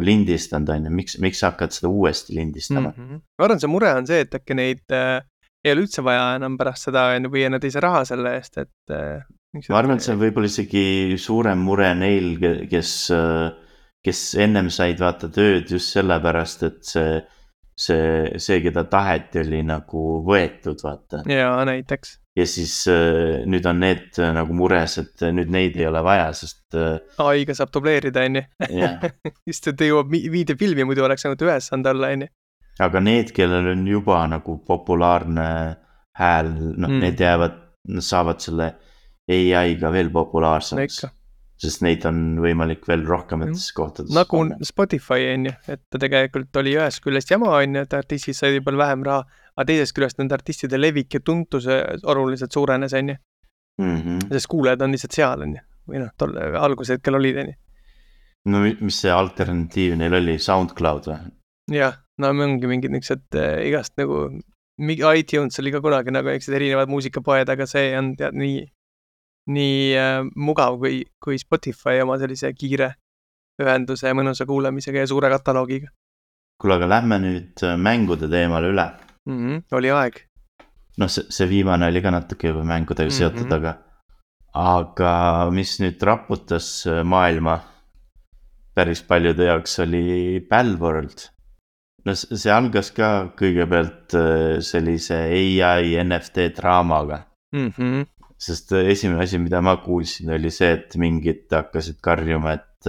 [SPEAKER 1] lindistanud, on ju, miks, miks sa hakkad seda uuesti lindistama?
[SPEAKER 2] Mm -hmm. ma arvan, see mure on see, et äkki neid äh, ei ole üldse vaja enam pärast seda, või nad ei saa raha selle eest, et äh,
[SPEAKER 1] ma arvan, et see on võib-olla isegi suurem mure neil, kes, kes ennem said vaata tööd just sellepärast, et see, see, see, keda taheti, oli nagu võetud, vaata.
[SPEAKER 2] jaa, näiteks.
[SPEAKER 1] ja siis äh, nüüd on need äh, nagu mures, et nüüd neid ei ole vaja, sest äh,
[SPEAKER 2] A I-ga saab dubleerida, on ju. just, et jõuab viide filmi, muidu oleks ainult ühes saanud olla, on ju.
[SPEAKER 1] aga need, kellel on juba nagu populaarne hääl, noh mm. need jäävad, saavad selle A I-ga veel populaarsemaks. Sest neid on võimalik veel rohkemates mm. kohtades.
[SPEAKER 2] Nagu panna. Spotify, on ju, et ta tegelikult oli ühest küljest jama, on ju, et artistid said juba vähem raha, aga teisest küljest nende artistide levik ja tuntuse oluliselt suurenes, on ju.
[SPEAKER 1] Mm -hmm.
[SPEAKER 2] Sest kuulajad on lihtsalt seal, on ju. Või noh, tolle alguse hetkel olid, on ju.
[SPEAKER 1] No mis see alternatiiv neil oli, SoundCloud või?
[SPEAKER 2] jah, no ongi mingid niisugused äh, igast nagu, iTunes oli ka kunagi nagu niisugused erinevad muusikapoed, aga see on tead nii nii äh, mugav kui, kui Spotify oma sellise kiire ühenduse ja mõnusa kuulamisega ja suure kataloogiga.
[SPEAKER 1] Kuule, aga lähme nüüd mängude teemale üle.
[SPEAKER 2] Mm -hmm, oli aeg.
[SPEAKER 1] noh, see, see viimane oli ka natuke juba mängudega seotud, mm -hmm. aga aga mis nüüd raputas maailma päris paljude jaoks oli Palworld. no see algas ka kõigepealt sellise A I N F T draamaga.
[SPEAKER 2] Mm -hmm.
[SPEAKER 1] Sest esimene asi, mida ma kuulsin, oli see, et mingid hakkasid karjuma, et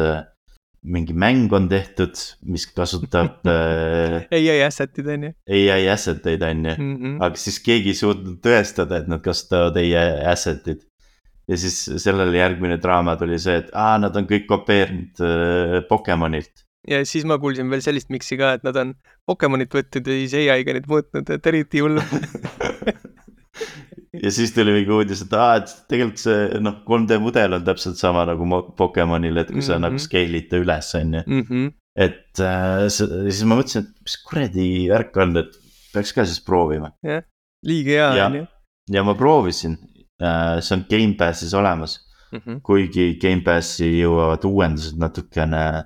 [SPEAKER 1] mingi mäng on tehtud, mis kasutab
[SPEAKER 2] A I asset'id, on ju.
[SPEAKER 1] A I asset'id, on ju.
[SPEAKER 2] Mm -hmm.
[SPEAKER 1] aga siis keegi ei suutnud tõestada, et nad kasutavad A I asset'id. ja siis sellele järgmine draama tuli see, et aa, nad on kõik kopeerinud äh, Pokemonilt.
[SPEAKER 2] ja siis ma kuulsin veel sellist miksi ka, et nad on Pokemonit võtnud ja siis A I-ga neid muutnud, et eriti hull.
[SPEAKER 1] ja siis tuli mingi uudis, et aa, et tegelikult see noh, kolm D mudel on täpselt sama nagu Pokemonil, et kui sa mm -hmm. nagu scale'id ta üles, on ju.
[SPEAKER 2] Mm -hmm.
[SPEAKER 1] et äh, siis ma mõtlesin, et mis kuradi värk on, et peaks ka siis proovima.
[SPEAKER 2] jah, liiga hea, on ju.
[SPEAKER 1] ja ma proovisin, äh, see on Gamepassis olemas mm, -hmm. kuigi Gamepassi jõuavad uuendused natukene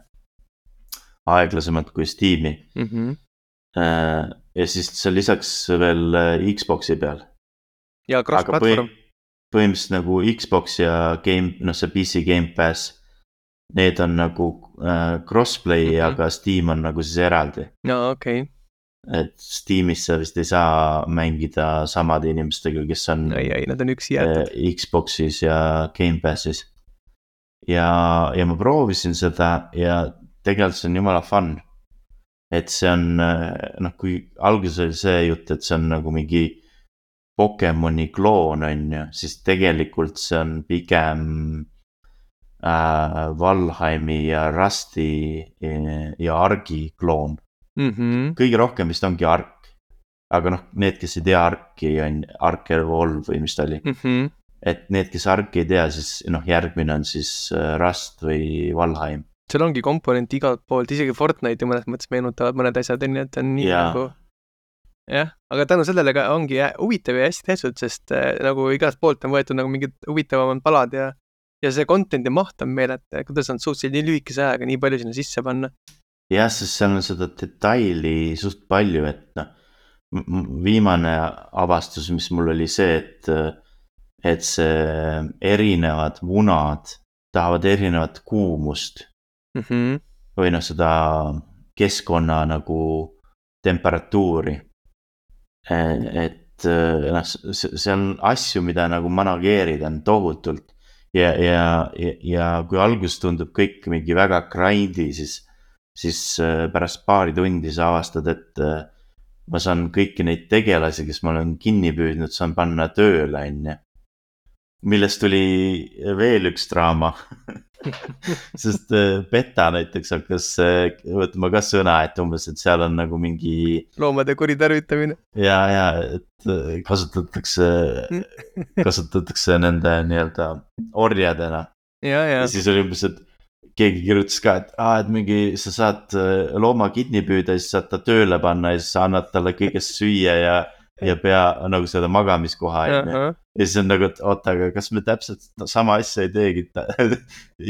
[SPEAKER 1] aeglasemalt kui Steam'i
[SPEAKER 2] mm. -hmm.
[SPEAKER 1] Äh, ja siis see lisaks veel Xbox'i peal.
[SPEAKER 2] ja cross-platvorm.
[SPEAKER 1] põhimõtteliselt nagu Xbox ja game, noh see P C Game Pass, need on nagu äh, crossplay mm, -hmm. aga Steam on nagu siis eraldi.
[SPEAKER 2] no okei okay..
[SPEAKER 1] et Steamis sa vist ei saa mängida samade inimestega, kes on
[SPEAKER 2] ei, ei, nad on üksi jäetud
[SPEAKER 1] äh, Xbox'is ja Game Passis. ja, ja ma proovisin seda ja tegelikult see on jumala fun. et see on, noh kui alguses oli see jutt, et see on nagu mingi Pokemoni kloon, on ju, siis tegelikult see on pigem äh, Valheimi ja Rusti ja Argi kloon.
[SPEAKER 2] mm. -hmm.
[SPEAKER 1] kõige rohkem vist ongi Ark. aga noh, need, kes ei tea Arki, on Ark Evolve või mis ta oli.
[SPEAKER 2] Mm -hmm.
[SPEAKER 1] et need, kes Arki ei tea, siis noh, järgmine on siis Rust või Valheim.
[SPEAKER 2] seal ongi komponent igalt poolt, isegi Fortnite'i mõnes mõttes meenutavad mõned asjad, on ju, et on nii ja. nagu jah, aga tänu sellele ka ongi huvitav ja hästi tehtud, sest äh, nagu igast poolt on võetud nagu mingid huvitavamad palad ja ja see content'i maht on meeleta, kuidas nad suutsid nii lühikese ajaga nii palju sinna sisse panna.
[SPEAKER 1] jah, sest seal on seda detaili suht palju, et noh, viimane avastus, mis mul oli see, et et see erinevad munad tahavad erinevat kuumust
[SPEAKER 2] mm -hmm.
[SPEAKER 1] või noh, seda keskkonna nagu temperatuuri. et noh, see on asju, mida nagu manageerida on tohutult ja, ja, ja, ja kui alguses tundub kõik mingi väga grind'i, siis, siis pärast paari tundi sa avastad, et ma saan kõiki neid tegelasi, kes ma olen kinni püüdnud, saan panna tööle, on ju. millest tuli veel üks draama sest äh, beta näiteks hakkas äh, võtma ka sõna, et umbes, et seal on nagu mingi
[SPEAKER 2] loomade kuritarvitamine.
[SPEAKER 1] ja, ja, et äh, kasutatakse, kasutatakse nende nii-öelda orjadena.
[SPEAKER 2] ja, ja.
[SPEAKER 1] ja siis oli umbes, et keegi kirjutas ka, et aa, et mingi sa saad äh, looma kinni püüda, siis saad ta tööle panna ja siis sa annad talle kõigest süüa ja ja pea nagu seda magamiskoha
[SPEAKER 2] Ahah.
[SPEAKER 1] onju. Ja siis on nagu, et oota, aga kas me täpselt sama asja ei teegi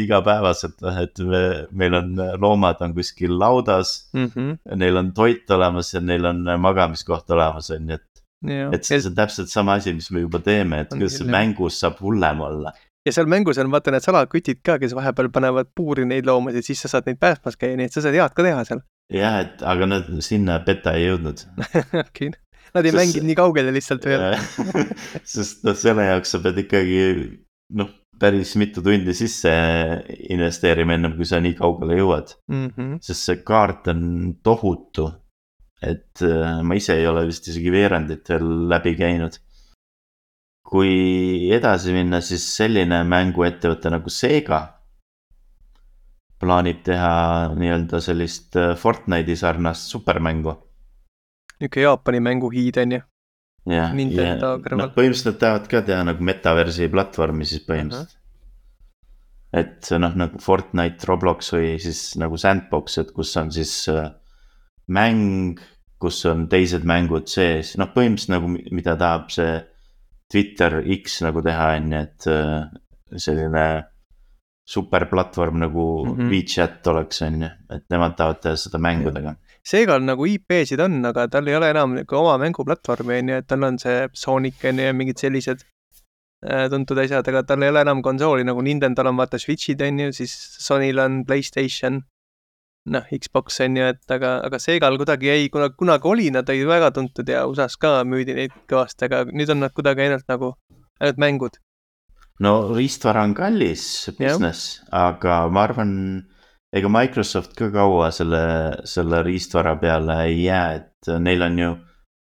[SPEAKER 1] igapäevaselt, et me, meil on loomad on kuskil laudas
[SPEAKER 2] Mhm.
[SPEAKER 1] neil on toit olemas ja neil on magamiskoht olemas onju, et,
[SPEAKER 2] Ja.
[SPEAKER 1] et see
[SPEAKER 2] Ja,
[SPEAKER 1] on täpselt sama asi, mis me juba teeme, et
[SPEAKER 2] On
[SPEAKER 1] kuidas see
[SPEAKER 2] küll, jah.
[SPEAKER 1] mängus saab hullem olla.
[SPEAKER 2] ja seal mängus on vaata need salakütid ka, kes vahepeal panevad puuri neid loomasid, siis sa saad neid päästmas käia, nii et sa saad head ka teha seal.
[SPEAKER 1] jah, et aga nad sinna beta ei jõudnud.
[SPEAKER 2] Okay. Nad ei
[SPEAKER 1] Sest-
[SPEAKER 2] mänginud nii kaugele lihtsalt veel.
[SPEAKER 1] sest noh, selle jaoks sa pead ikkagi noh, päris mitu tundi sisse investeerima ennem, kui sa nii kaugele jõuad.
[SPEAKER 2] Mhm.
[SPEAKER 1] Sest see kaart on tohutu, et äh, ma ise ei ole vist isegi veerandit veel läbi käinud. Kui edasi minna, siis selline mänguettevõte nagu Sega plaanib teha nii-öelda sellist äh, Fortnite'i sarnast supermängu.
[SPEAKER 2] Niisugune Jaapani mänguhiid on ju.
[SPEAKER 1] jah,
[SPEAKER 2] Nintendo
[SPEAKER 1] ja
[SPEAKER 2] kõrval.
[SPEAKER 1] noh, põhimõtteliselt nad tahavad ka teha nagu metaversi platvormi siis põhimõtteliselt. Et see noh, nagu Fortnite, Roblox või siis nagu Sandbox, et kus on siis äh, mäng, kus on teised mängud sees, noh põhimõtteliselt nagu mi- mida tahab see Twitter X nagu teha on ju, et äh, selline superplatvorm nagu
[SPEAKER 2] Mhm.
[SPEAKER 1] WeChat oleks on ju, et nemad tahavad teha seda mängudega.
[SPEAKER 2] Seegal nagu I P-sid on, aga tal ei ole enam nagu oma mänguplatvormi on ju, et tal on see Sonic on ju ja mingid sellised äh, tuntud asjad, aga tal ei ole enam konsooli nagu Nintendo'l on vaata Switch'id on ju, siis Sonyl on PlayStation, noh Xbox on ju, et aga, aga Seegal kuidagi ei, kuna kunagi oli, nad olid väga tuntud ja U S A-s ka müüdi neid kõvasti, aga nüüd on nad kuidagi ainult nagu, ainult mängud.
[SPEAKER 1] no riistvara on kallis business, aga ma arvan, ega Microsoft ka kaua selle, selle riistvara peale ei jää, et neil on ju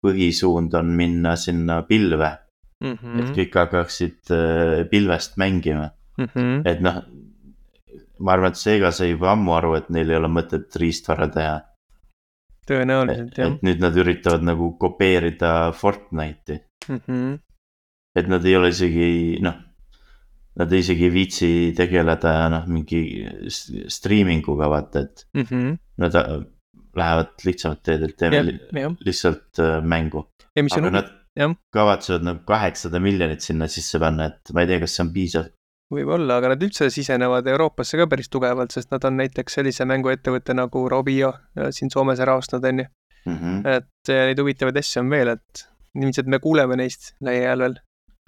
[SPEAKER 1] põhisuund on minna sinna pilve,
[SPEAKER 2] Mm
[SPEAKER 1] et
[SPEAKER 2] -hmm.
[SPEAKER 1] kõik hakkaksid äh, pilvest mängima.
[SPEAKER 2] Mm -hmm.
[SPEAKER 1] Et noh, ma arvan, et Sega sai juba ammu aru, et neil ei ole mõtet riistvara teha.
[SPEAKER 2] Tõenäoliselt jah.
[SPEAKER 1] Et nüüd nad üritavad nagu kopeerida Fortnite'i,
[SPEAKER 2] Mm -hmm.
[SPEAKER 1] et nad ei ole isegi noh, nad isegi ei viitsi tegeleda noh, mingi s- streaminguga vaata, et
[SPEAKER 2] Mm -hmm.
[SPEAKER 1] nad äh, lähevad lihtsamalt teed, et teeme
[SPEAKER 2] jah,
[SPEAKER 1] li
[SPEAKER 2] jah.
[SPEAKER 1] lihtsalt äh, mängu.
[SPEAKER 2] ja mis on
[SPEAKER 1] aga
[SPEAKER 2] huvi-
[SPEAKER 1] nad
[SPEAKER 2] jah.
[SPEAKER 1] kavatsevad nagu kaheksasada miljonit sinna sisse panna, et ma ei tea, kas see on piisav.
[SPEAKER 2] võib-olla, aga nad üldse sisenevad Euroopasse ka päris tugevalt, sest nad on näiteks sellise mänguettevõtte nagu Rovio äh, siin Soomes ära ostnud, on ju.
[SPEAKER 1] Mm -hmm.
[SPEAKER 2] Et äh, neid huvitavaid asju on veel, et ilmselt me kuuleme neist lähiajal veel.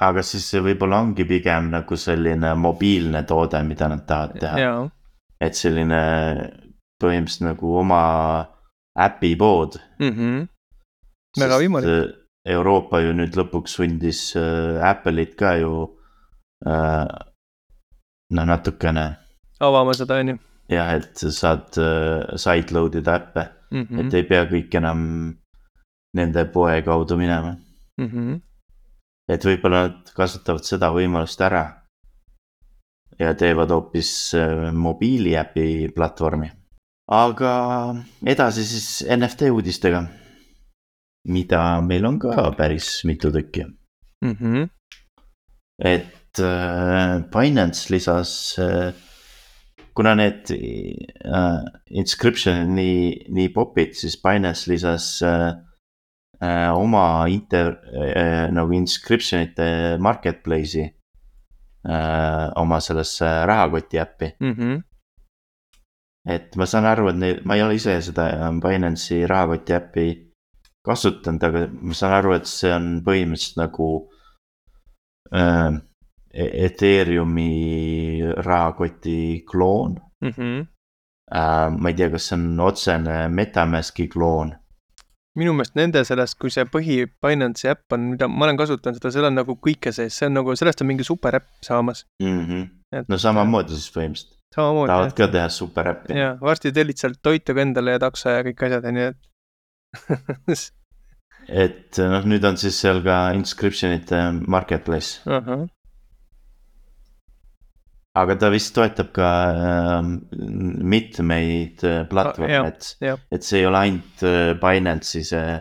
[SPEAKER 1] aga siis see võib-olla ongi pigem nagu selline mobiilne toode, mida nad tahavad teha.
[SPEAKER 2] Jaa.
[SPEAKER 1] Et selline põhimõtteliselt nagu oma äpipood.
[SPEAKER 2] Mm -hmm. Väga võimalik.
[SPEAKER 1] Euroopa ju nüüd lõpuks sundis äh, Apple'it ka ju äh, noh, natukene
[SPEAKER 2] avama seda, on ju.
[SPEAKER 1] jah, et sa saad äh, sideload ida äppe,
[SPEAKER 2] Mm
[SPEAKER 1] et
[SPEAKER 2] -hmm.
[SPEAKER 1] ei pea kõik enam nende poe kaudu minema.
[SPEAKER 2] Mm -hmm.
[SPEAKER 1] Et võib-olla nad kasutavad seda võimalust ära ja teevad hoopis äh, mobiiliäpi platvormi. Aga edasi siis N F T uudistega, mida meil on ka päris mitu tükki.
[SPEAKER 2] Mm -hmm.
[SPEAKER 1] Et äh, Binance lisas äh, kuna need äh, inscription'id nii, nii popid, siis Binance lisas äh, äh, oma inter, äh, nagu inscription'ite marketplace'i äh, oma sellesse rahakoti äppi.
[SPEAKER 2] Mm -hmm.
[SPEAKER 1] Et ma saan aru, et neil, ma ei ole ise seda Binance'i rahakoti äppi kasutanud, aga ma saan aru, et see on põhimõtteliselt nagu äh, Ethereumi rahakoti kloon.
[SPEAKER 2] Mm -hmm.
[SPEAKER 1] äh, ma ei tea, kas see on otsene MetaMaski kloon.
[SPEAKER 2] minu meelest nende sellest, kui see põhi Binance'i äpp on, mida ma olen kasutanud seda, seal on nagu kõike sees, see on nagu, sellest on mingi super äpp saamas.
[SPEAKER 1] Mm -hmm.
[SPEAKER 2] Et,
[SPEAKER 1] no samamoodi siis põhimõtteliselt.
[SPEAKER 2] samamoodi.
[SPEAKER 1] tahavad ka teha super äppi.
[SPEAKER 2] ja varsti tellid sealt toitu ka endale ja takso ja kõik asjad, nii et
[SPEAKER 1] et noh, nüüd on siis seal ka inscription'ite marketplace.
[SPEAKER 2] Ahah.
[SPEAKER 1] aga ta vist toetab ka äh, mitmeid äh, platvorme, et, et see ei ole ainult äh, Binance'i see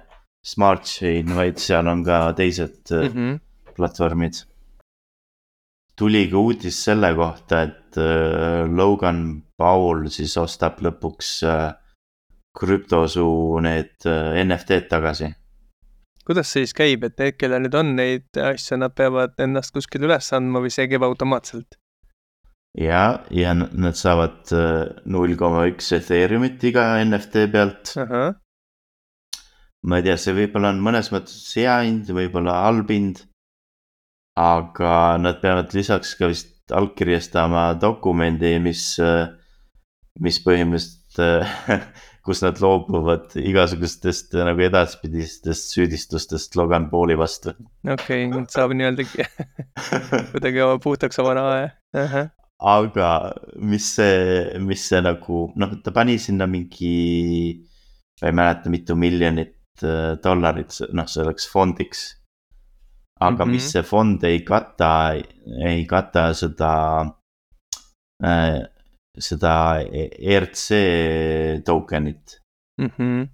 [SPEAKER 1] Smart Chain, vaid seal on ka teised äh, mm-hmm. platvormid. Tuli ka uudis selle kohta, et äh, Logan Paul siis ostab lõpuks äh, krüptosuu need äh, N F T-d tagasi.
[SPEAKER 2] Kuidas see siis käib, et need, kelle nüüd on neid asja, nad peavad ennast kuskil üles andma või see käib automaatselt?
[SPEAKER 1] Ja, ja nad saavad null koma üks Ethereumit iga N F T pealt.
[SPEAKER 2] Uh-huh.
[SPEAKER 1] Ma ei tea, see võib-olla on mõnes mõttes hea hind, võib-olla halb hind. Aga nad peavad lisaks ka vist allkirjastama dokumendi, mis, mis põhimõtteliselt, kus nad loobuvad igasugustest nagu edaspidistest süüdistustest Logan Pauli vastu.
[SPEAKER 2] Okei, okay, saab nii-öelda kuidagi oma puhtaks oma raha. Uh-huh.
[SPEAKER 1] Aga mis see, mis see nagu, noh, ta pani sinna mingi, ei mäleta mitu miljonit dollarit, noh, see oleks fondiks. Aga mm-hmm. mis see fond ei kata, ei kata seda, äh, seda E R C tokenit.
[SPEAKER 2] Mm-hmm.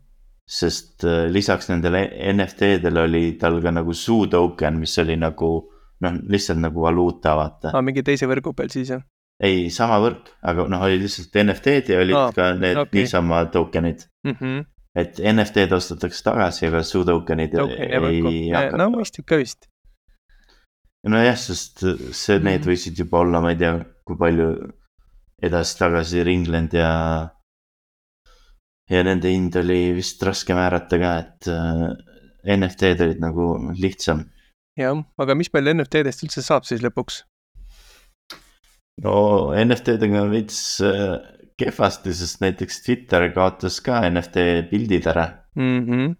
[SPEAKER 1] Sest äh, lisaks nendele N F T-dele oli tal ka nagu suu token, mis oli nagu, noh, lihtsalt nagu valuuta, vaata.
[SPEAKER 2] Ah, mingi teise võrgu peal siis, jah?
[SPEAKER 1] Ei, sama võrk, aga noh, oli lihtsalt N F T-d ja olid ah, ka need okay. niisama tokenid.
[SPEAKER 2] Mm-hmm.
[SPEAKER 1] Et N F T-d ostetakse tagasi, aga suu tokenid
[SPEAKER 2] Token,
[SPEAKER 1] ei hakka.
[SPEAKER 2] No mõistib ka vist.
[SPEAKER 1] No jah, sest see, need mm-hmm. võisid juba olla, ma ei tea, kui palju edasi-tagasi ringlenud ja ja nende hind oli vist raske määrata ka, et N F T-d olid nagu lihtsam.
[SPEAKER 2] Jah, aga mis meil N F T-dest üldse saab siis lõpuks?
[SPEAKER 1] No N F T-dega on veits äh, kehvasti, sest näiteks Twitter kaotas ka N F T pildid ära.
[SPEAKER 2] Mm-hmm.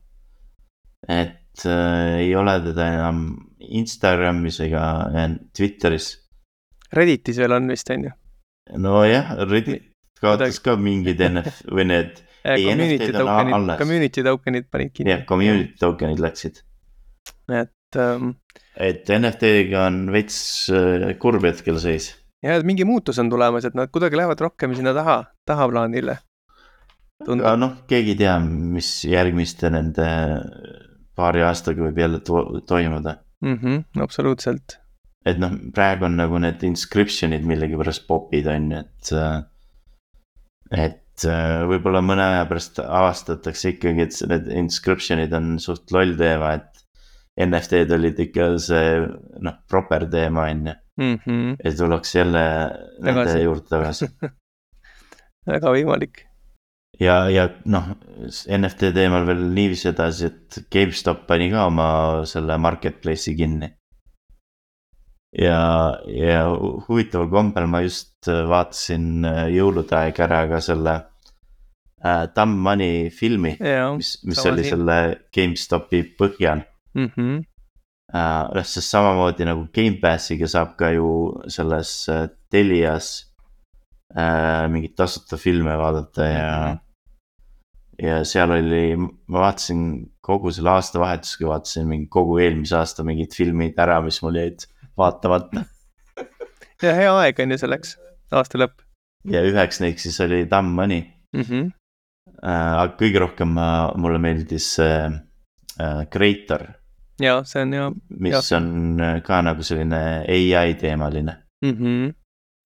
[SPEAKER 1] Et äh, ei ole teda enam Instagramis ega Twitteris.
[SPEAKER 2] Redditis veel on vist, on ju?
[SPEAKER 1] No jah, Reddit kaotas ka mingid N F T või need
[SPEAKER 2] ei, N F T-d on tokenid, alles. Community tokenid panid kinni.
[SPEAKER 1] Jah, community tokenid läksid.
[SPEAKER 2] Et, um...
[SPEAKER 1] et N F T-ga on veits äh, kurb hetkel seis.
[SPEAKER 2] Ja mingi muutus on tulemas, et nad kuidagi lähevad rohkem sinna taha, taha plaanile.
[SPEAKER 1] Tundub. Aga noh, keegi tea, mis järgmiste nende paari aastaga võib jälle to- toimuda.
[SPEAKER 2] Mm-hmm, absoluutselt.
[SPEAKER 1] Et noh, praegu on nagu need inscriptionid millegi pärast popid on, et, et võib-olla mõne aja pärast avastatakse ikkagi, et need inscriptionid on suht loll teema, et N F T-d olid ikka see, noh, proper teema on ju.
[SPEAKER 2] Mm-hmm.
[SPEAKER 1] Et tuleks jälle nende tagasi. Juurde tagasi.
[SPEAKER 2] Väga võimalik.
[SPEAKER 1] Ja, ja noh, N F T teemal veel niivis edasi, et GameStop pani ka oma selle marketplace'i kinni. Ja, ja huvitaval kombel ma just vaatasin jõulude aeg ära ka selle äh, Dumb Money filmi,
[SPEAKER 2] ja,
[SPEAKER 1] mis, mis oli siin. Selle GameStopi põhjal.
[SPEAKER 2] Mhm.
[SPEAKER 1] Uh, sest samamoodi nagu Game Passiga saab ka ju selles uh, Telias uh, mingit tasuta filme vaadata ja mm-hmm. ja seal oli, ma vaatasin kogu selle aasta vahetusega, vaatasin mingi kogu eelmise aasta mingid filmid ära, mis mul jäid vaatamata.
[SPEAKER 2] Ja hea aeg on ju selleks, aasta lõpp.
[SPEAKER 1] Ja üheks neeks siis oli Dumb Money.
[SPEAKER 2] Mm-hmm.
[SPEAKER 1] Uh, aga kõige rohkem uh, mulle meeldis uh, uh, Creator.
[SPEAKER 2] Ja, see on ja.
[SPEAKER 1] Mis ja. On ka nagu selline A I teemaline.
[SPEAKER 2] Mm-hmm.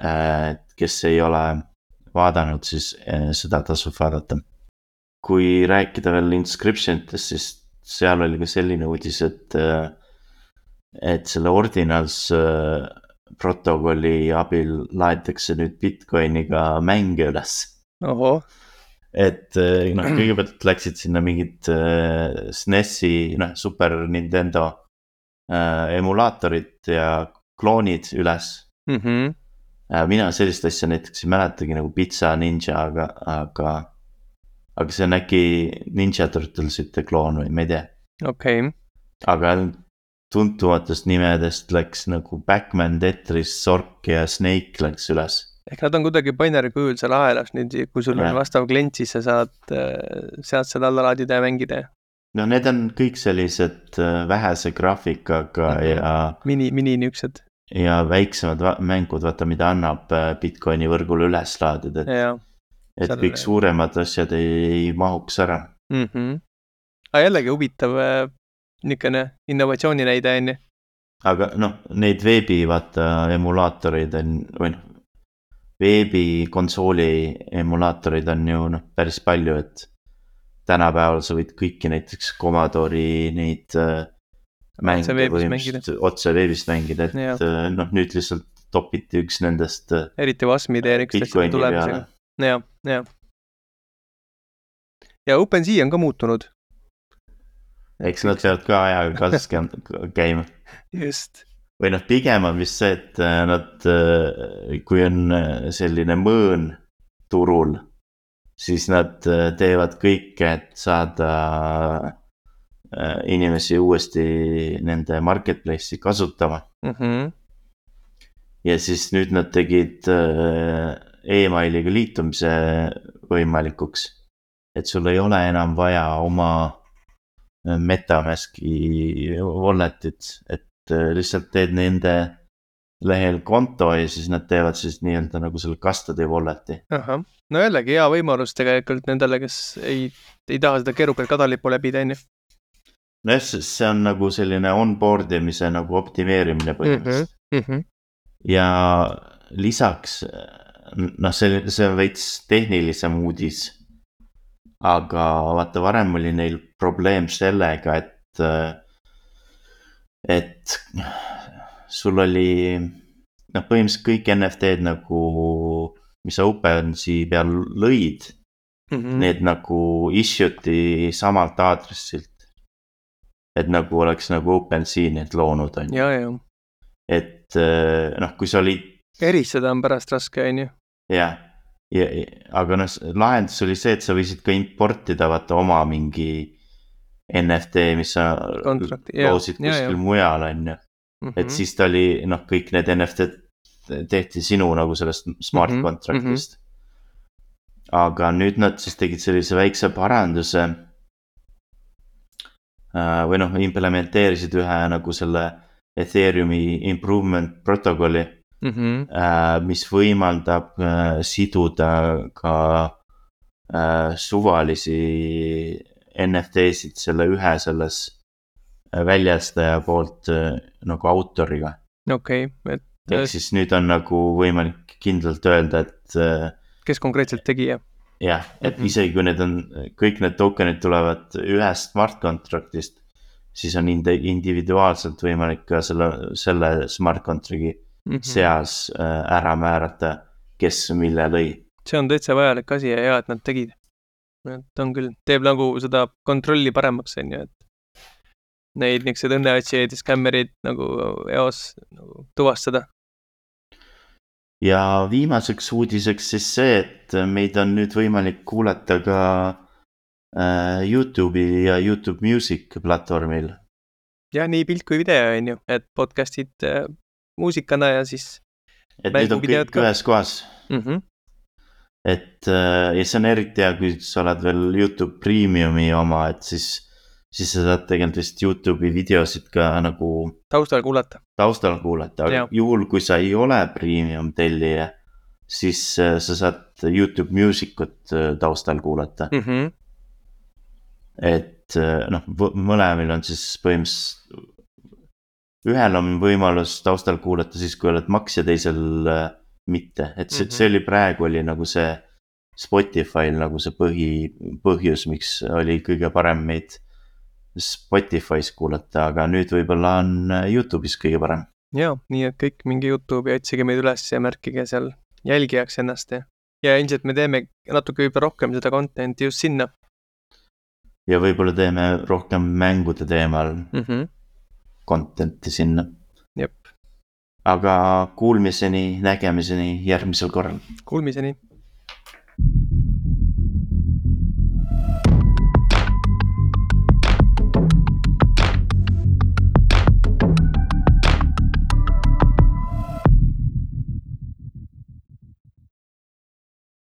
[SPEAKER 1] Et kes ei ole vaadanud, siis seda tasub vaadata. Kui rääkida veel inscriptionitest, siis seal oli ka selline uudis, et, et selle Ordinals protokolli abil laetakse nüüd Bitcoiniga mänge üles.
[SPEAKER 2] Oho.
[SPEAKER 1] Et noh, kõigepealt läksid sinna mingid äh, S N E S-i, noh, Super Nintendo äh, emulaatorid ja kloonid üles.
[SPEAKER 2] Mm-hmm.
[SPEAKER 1] Äh, mina sellist asja näiteks ei mäletagi nagu Pizza Ninja, aga, aga, aga see on äkki Ninja Turtlesite kloon või ma ei tea.
[SPEAKER 2] Okei. Okay.
[SPEAKER 1] Aga tuntumatest nimedest läks nagu Backman, Tetris, Zork ja Snake läks üles.
[SPEAKER 2] Ehk nad on kuidagi binary kujul seal ahelas nüüd, kui sul ja. On vastav klient, siis sa saad, saad seda alla laadida ja mängida.
[SPEAKER 1] No need on kõik sellised vähese graafikaga mm-hmm. ja
[SPEAKER 2] mini, mini nüksed.
[SPEAKER 1] ja väiksemad va- mängud, vaata mida annab äh, Bitcoini võrgule üles laadida, et,
[SPEAKER 2] ja
[SPEAKER 1] et
[SPEAKER 2] seal-
[SPEAKER 1] kõik suuremad asjad ei, ei mahuks ära.
[SPEAKER 2] mm -hmm. aga jällegi huvitav äh, niisugune innovatsiooni näide on ju.
[SPEAKER 1] aga noh, neid veebi vaata emulaatoreid on, või noh, veebikonsooli emulaatoreid on ju noh, päris palju, et tänapäeval sa võid kõiki näiteks Commodore'i neid äh, mänge
[SPEAKER 2] Otse veebist
[SPEAKER 1] põhimõtteliselt otse veebist mängida, et
[SPEAKER 2] Jah.
[SPEAKER 1] äh, noh, nüüd lihtsalt topiti üks nendest äh,
[SPEAKER 2] eriti Wasmi D N X
[SPEAKER 1] Bitcoini
[SPEAKER 2] tulemisega.
[SPEAKER 1] peale.
[SPEAKER 2] jah, jah. ja OpenSea on ka muutunud.
[SPEAKER 1] Eks nad peavad ka ajaga kaasas kä- käima.
[SPEAKER 2] Just.
[SPEAKER 1] või noh, pigem on vist see, et äh, nad, äh, kui on äh, selline mõõn turul, siis nad äh, teevad kõike, et saada äh, inimesi uuesti nende marketplace'i kasutama.
[SPEAKER 2] Mm -hmm.
[SPEAKER 1] Ja siis nüüd nad tegid äh, emailiga liitumise võimalikuks. Et sul ei ole enam vaja oma äh, MetaMaski walletit, et äh, lihtsalt teed nende lehel konto ja siis nad teevad siis nii-öelda nagu selle custody wallet'i.
[SPEAKER 2] Ahah. No jällegi hea võimalus tegelikult nendele, kes ei, ei taha seda keerukat kadalippu läbida, on ju.
[SPEAKER 1] No jah, see on nagu selline onboard imise nagu optimeerimine põhimõtteliselt.
[SPEAKER 2] Mm -hmm.
[SPEAKER 1] Ja lisaks, noh, see, see on veits tehnilisem uudis. Aga vaata, varem oli neil probleem sellega, et, et sul oli, noh, põhimõtteliselt kõik N F T-d nagu, mis sa OpenSea peal lõid,
[SPEAKER 2] Mm -hmm.
[SPEAKER 1] need nagu issue'ti samalt aadressilt. Et nagu oleks nagu OpenSea need loonud, on ju.
[SPEAKER 2] ja, ja.
[SPEAKER 1] Et noh, kui sa olid
[SPEAKER 2] eristada on pärast raske, on ju.
[SPEAKER 1] jah, ja, ja, aga noh, lahendus oli see, et sa võisid ka importida vaata oma mingi N F T, mis sa
[SPEAKER 2] Kontrakti, jah,
[SPEAKER 1] loosid
[SPEAKER 2] ja,
[SPEAKER 1] kuskil
[SPEAKER 2] ja.
[SPEAKER 1] mujal, on ju.
[SPEAKER 2] Mm
[SPEAKER 1] Et siis ta oli, noh, kõik need N F T-d tehti sinu nagu sellest smart
[SPEAKER 2] Mhm,
[SPEAKER 1] contract'ist. Aga nüüd nad siis tegid sellise väikse paranduse äh, või noh, implementeerisid ühe nagu selle Ethereumi improvement protokolli,
[SPEAKER 2] mm -hmm.
[SPEAKER 1] äh, mis võimaldab äh, siduda ka äh, suvalisi N F T-sid selle ühe selles äh, väljastaja poolt äh, nagu autoriga.
[SPEAKER 2] okei okay,, et
[SPEAKER 1] Ehk siis nüüd on nagu võimalik kindlalt öelda, et äh,
[SPEAKER 2] kes konkreetselt tegi, jah.
[SPEAKER 1] jah, et
[SPEAKER 2] Mhm.
[SPEAKER 1] isegi kui need on, kõik need tokenid tulevad ühest smart contract'ist, siis on indi- individuaalselt võimalik ka selle, selle smart contract'i
[SPEAKER 2] Mm -hmm.
[SPEAKER 1] seas äh, ära määrata, kes mille lõi.
[SPEAKER 2] see on täitsa vajalik asi ja hea, et nad tegid. et on küll, teeb nagu seda kontrolli paremaks, on ju, et neid niisugused õnneotsijaid ja skämmerid nagu eos nagu tuvastada.
[SPEAKER 1] Ja viimaseks uudiseks siis see, et meid on nüüd võimalik kuulata ka äh, YouTube'i ja YouTube Music platvormil.
[SPEAKER 2] ja nii pilt kui video, on ju, et podcast'id äh, muusikana ja siis
[SPEAKER 1] Et need on
[SPEAKER 2] mänguvideod
[SPEAKER 1] kõik
[SPEAKER 2] ka.
[SPEAKER 1] ühes kohas.
[SPEAKER 2] mm -hmm.
[SPEAKER 1] Et äh, ja see on eriti hea, kui sa oled veel YouTube Premiumi oma, et siis, siis sa saad tegelikult vist YouTube'i videosid ka nagu
[SPEAKER 2] taustal kuulata.
[SPEAKER 1] taustal kuulata, aga
[SPEAKER 2] Jah.
[SPEAKER 1] juhul kui sa ei ole premium tellija, siis äh, sa saad YouTube Musicut äh, taustal kuulata.
[SPEAKER 2] mm. -hmm.
[SPEAKER 1] Et äh, noh, v- mõlemil on siis põhimõtteliselt, ühel on võimalus taustal kuulata siis, kui oled maksja, teisel äh, mitte, et see,
[SPEAKER 2] Mhm.
[SPEAKER 1] see oli praegu oli nagu see Spotify'l nagu see põhi, põhjus, miks oli kõige parem meid Spotify's kuulata, aga nüüd võib-olla on äh, YouTube'is kõige parem.
[SPEAKER 2] ja nii, et kõik minge YouTube'i, otsige meid üles ja märkige seal jälgijaks ennast ja, ja ilmselt me teeme natuke võib-olla rohkem seda content'i just sinna.
[SPEAKER 1] Ja võib-olla teeme rohkem mängude teemal
[SPEAKER 2] mm. -hmm.
[SPEAKER 1] content'i sinna.
[SPEAKER 2] jep,
[SPEAKER 1] Aga kuulmiseni, nägemiseni järgmisel korral.
[SPEAKER 2] kuulmiseni.